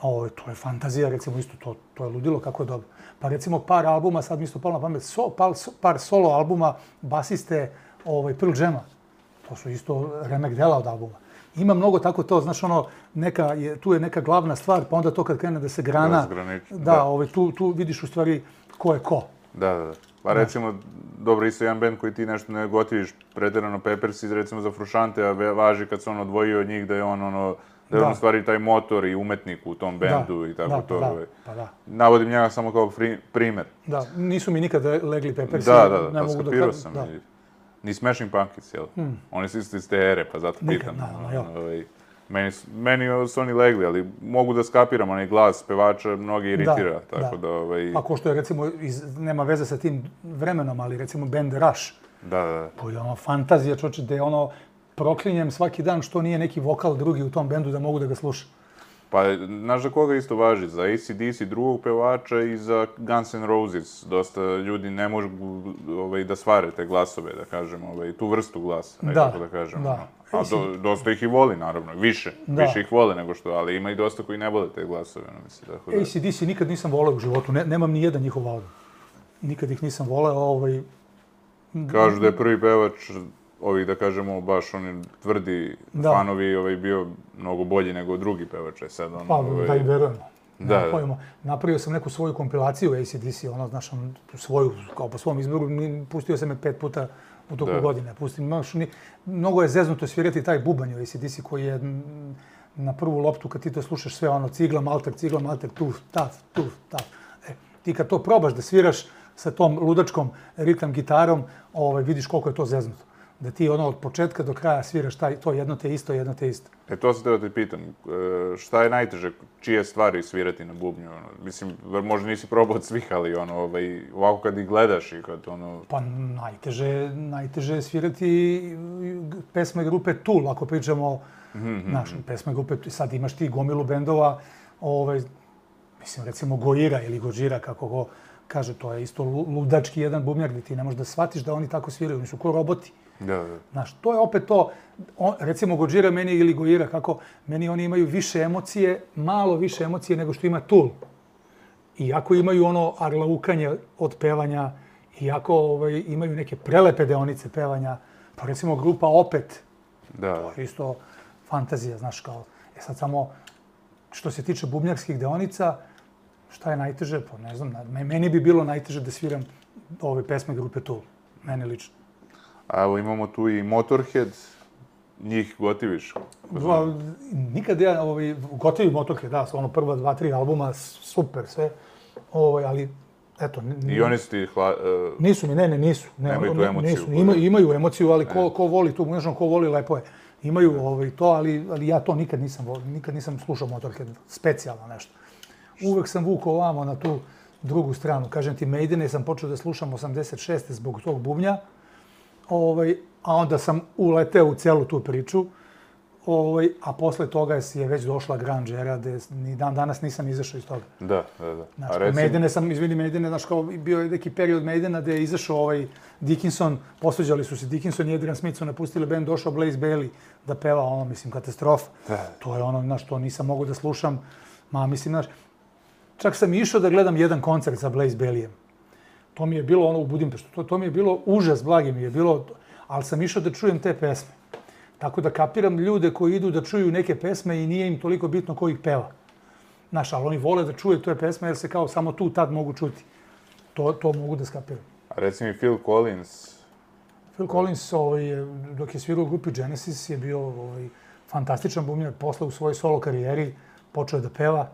To je fantazija, recimo, isto, to je ludilo kako je dobro. Pa recimo par albuma, sad mi isto palo na pamet, par solo albuma basiste Pearl Jama. To su isto remek dela od albuma. Ima mnogo tako to, znaš, ono, tu je neka glavna stvar, pa onda to kad krene da se grana, tu vidiš u stvari ko je ko. Da. Pa recimo, dobro, isto jedan band koji ti nešto ne gotiviš, pretjerano Peppers, recimo za Frušante, a važi kad se on odvojio od njih da je on, ono, da je on u stvari taj motor i umetnik u tom bendu i tako to. Navodim njega samo kao primer. Da, nisu mi nikad legli Peppersi. Da, skapirao sam. Ni Smashing Pumpkins, jel? Oni su isto iz te ere, pa zato pitam. Meni su oni legli, ali mogu da skapiram onaj glas pevača, mnogi iritira, tako da... Pa ko što je, recimo, nema veze sa tim vremenom, ali recimo band Rush. Da. Koji je ono fantazija, čoče, da je ono proklinjem svaki dan što nije neki vokal drugi u tom bendu da mogu da ga slušam. Pa, znaš za koga isto važi? Za AC/DC drugog pevača i za Guns N' Roses. Dosta ljudi ne mogu da svare te glasove, da kažem, tu vrstu glasa, nekako da kažem. A dosta ih i voli, naravno, više ih vole nego što, ali ima i dosta koji ne vole te glasove, mislim. AC/DC nikad nisam voleo u životu, nemam ni jedan njihov album. Nikad ih nisam voleo, Kažu da je prvi pevač ovih, da kažemo, baš oni tvrdi fanovi bio mnogo bolji nego drugi pevače. Pa, da i verujemo. Napravio sam neku svoju kompilaciju AC/DC, ono, znaš, svoju, kao po svom izboru, pustio sam je 5 puta u toku godine. Mnogo je zeznuto svirati taj bubanj u AC/DC koji je na prvu loptu, kad ti to slušaš sve, ono, cigla, malter, tuf, taf. Ti kad to probaš da sviraš sa tom ludačkom ritam gitarom, vidiš koliko je to zeznuto. Da ti ono od početka do kraja sviraš to jedno te isto. To se teo te pitam, šta je najteže, čije stvari svirati na bubnju? Mislim, možda nisi probao od svih, ali ovako kad ih gledaš i kad ono... Pa najteže je svirati pesme grupe Tool, ako pričamo, znaš, pesme grupe, sad imaš ti gomilu bendova, mislim, recimo Gojira ili Gojira, kako go kaže, to je isto ludački jedan bubnjar gdje ti ne možeš da shvatiš da oni tako sviraju, oni su ko roboti. Znaš, to je opet to, recimo Gojira meni ili Gojira, kako meni oni imaju više emocije, malo više emocije nego što ima Tool. Iako imaju ono arlaukanje od pevanja, iako imaju neke prelepe deonice pevanja, pa recimo grupa Opet, to je isto fantazija, znaš, kao, sad samo što se tiče bubnjarskih deonica, šta je najteže? Pa ne znam, meni bi bilo najteže da sviram ove pesme grupe Tool, meni lično. A evo imamo tu i Motorhead, njih gotiviš? Nikad ja gotivi Motorhead, da, ono prva 2-3 albuma, super sve, ali eto... I oni su ti... Nisu mi, nisu. Nemaju tu emociju? Imaju emociju, ali ko voli tu, znaš, ko voli, lepo je. Imaju to, ali ja to nikad nisam slušao Motorhead, specijalno nešto. Uvek sam vukao ovamo na tu drugu stranu. Kažem ti, Maidene sam počeo da slušam 86. zbog tog bubnja, a onda sam uleteo u celu tu priču, a posle toga je već došla grunge era, ni dan danas nisam izašao iz toga. Da. Maidene sam, izvini, Maidene, znaš, kao bio je neki period Maidena gde je izašao Dickinson, posveđali su se Dickinson i Adrian Smith su napustili band, došao Blaze Bayley da peva, ono, mislim, katastrofa. To je ono, znaš, to nisam mogao da slušam, mislim, znaš, čak sam išao da gledam jedan koncert sa Blaze Bayleyem. To mi je bilo ono u Budimpeštu, to mi je bilo užas, blagi mi je bilo, ali sam išao da čujem te pesme. Tako da kapiram ljude koji idu da čuju neke pesme i nije im toliko bitno ko ih peva. Znaš, ali oni vole da čuje te pesme jer se kao samo tu tad mogu čuti. To mogu da skapiram. A reci mi Phil Collins? Phil Collins, dok je svirao u grupi Genesis, je bio fantastičan bubnjar. Posle u svojoj solo karijeri počeo je da peva.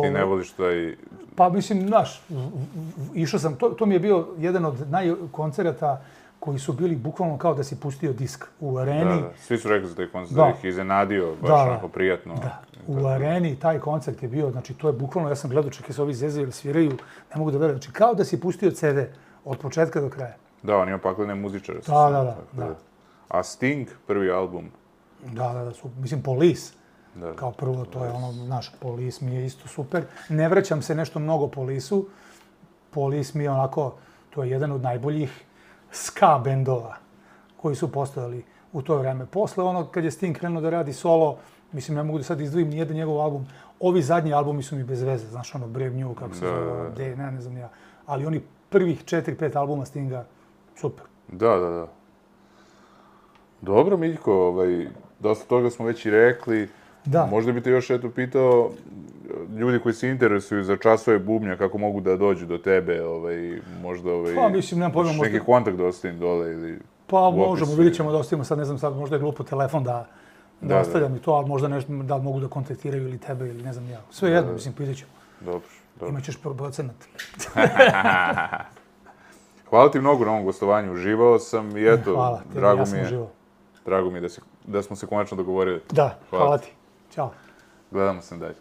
Ti ne voliš taj... Pa mislim, znaš, išao sam, to mi je bio jedan od koncerata koji su bili bukvalno kao da si pustio disk u areni. Da. Svi su rekli za taj koncert da ih iznenadio, baš onako prijatno. Da, u areni taj koncert je bio, znači to je bukvalno, ja sam gledao, čekaj se ovi zezaju ili sviraju, ne mogu da verujem, znači kao da si pustio CD od početka do kraja. Da, on ima paklene muzičare. Da. A Sting, prvi album? Da, mislim, Police. Da. Kao prvo, to je ono, naš Police mi je isto super. Ne vraćam se nešto mnogo Police-u. Police mi je onako, to je jedan od najboljih ska bendova koji su postojali u to vreme. Posle ono, kad je Sting krenuo da radi solo, mislim, ne mogu da sad izdvojim nijedan njegov album. Ovi zadnji albumi su mi bez veze, znaš, ono, Brave New, kako se zove, ne znam ja. Ali oni prvih 4-5 albuma Stinga, super. Da. Dobro, Miljko, dosta toga smo već i rekli. Da. Možda bi te još pitao, ljudi koji se interesuju za časove bubnja, kako mogu da dođu do tebe, možda Pa, mislim, nemam pojma, možda... neki kontakt da ostavim dole ili... Pa, možemo, vidjet ćemo da ostavimo, sad ne znam, sad možda je glupo telefon da ostavljam i to, ali možda nešto, da li mogu da kontaktiraju ili tebe ili ne znam ja. Sve jedno, mislim, pitat ćemo. Dobro. Imaćeš procenat. Hvala ti mnogo na ovom gostovanju, uživao sam i eto, hvala, drago mi je da smo se konačno dogovorili. Da, hvala ti. Ćao. Gledamo se dalje.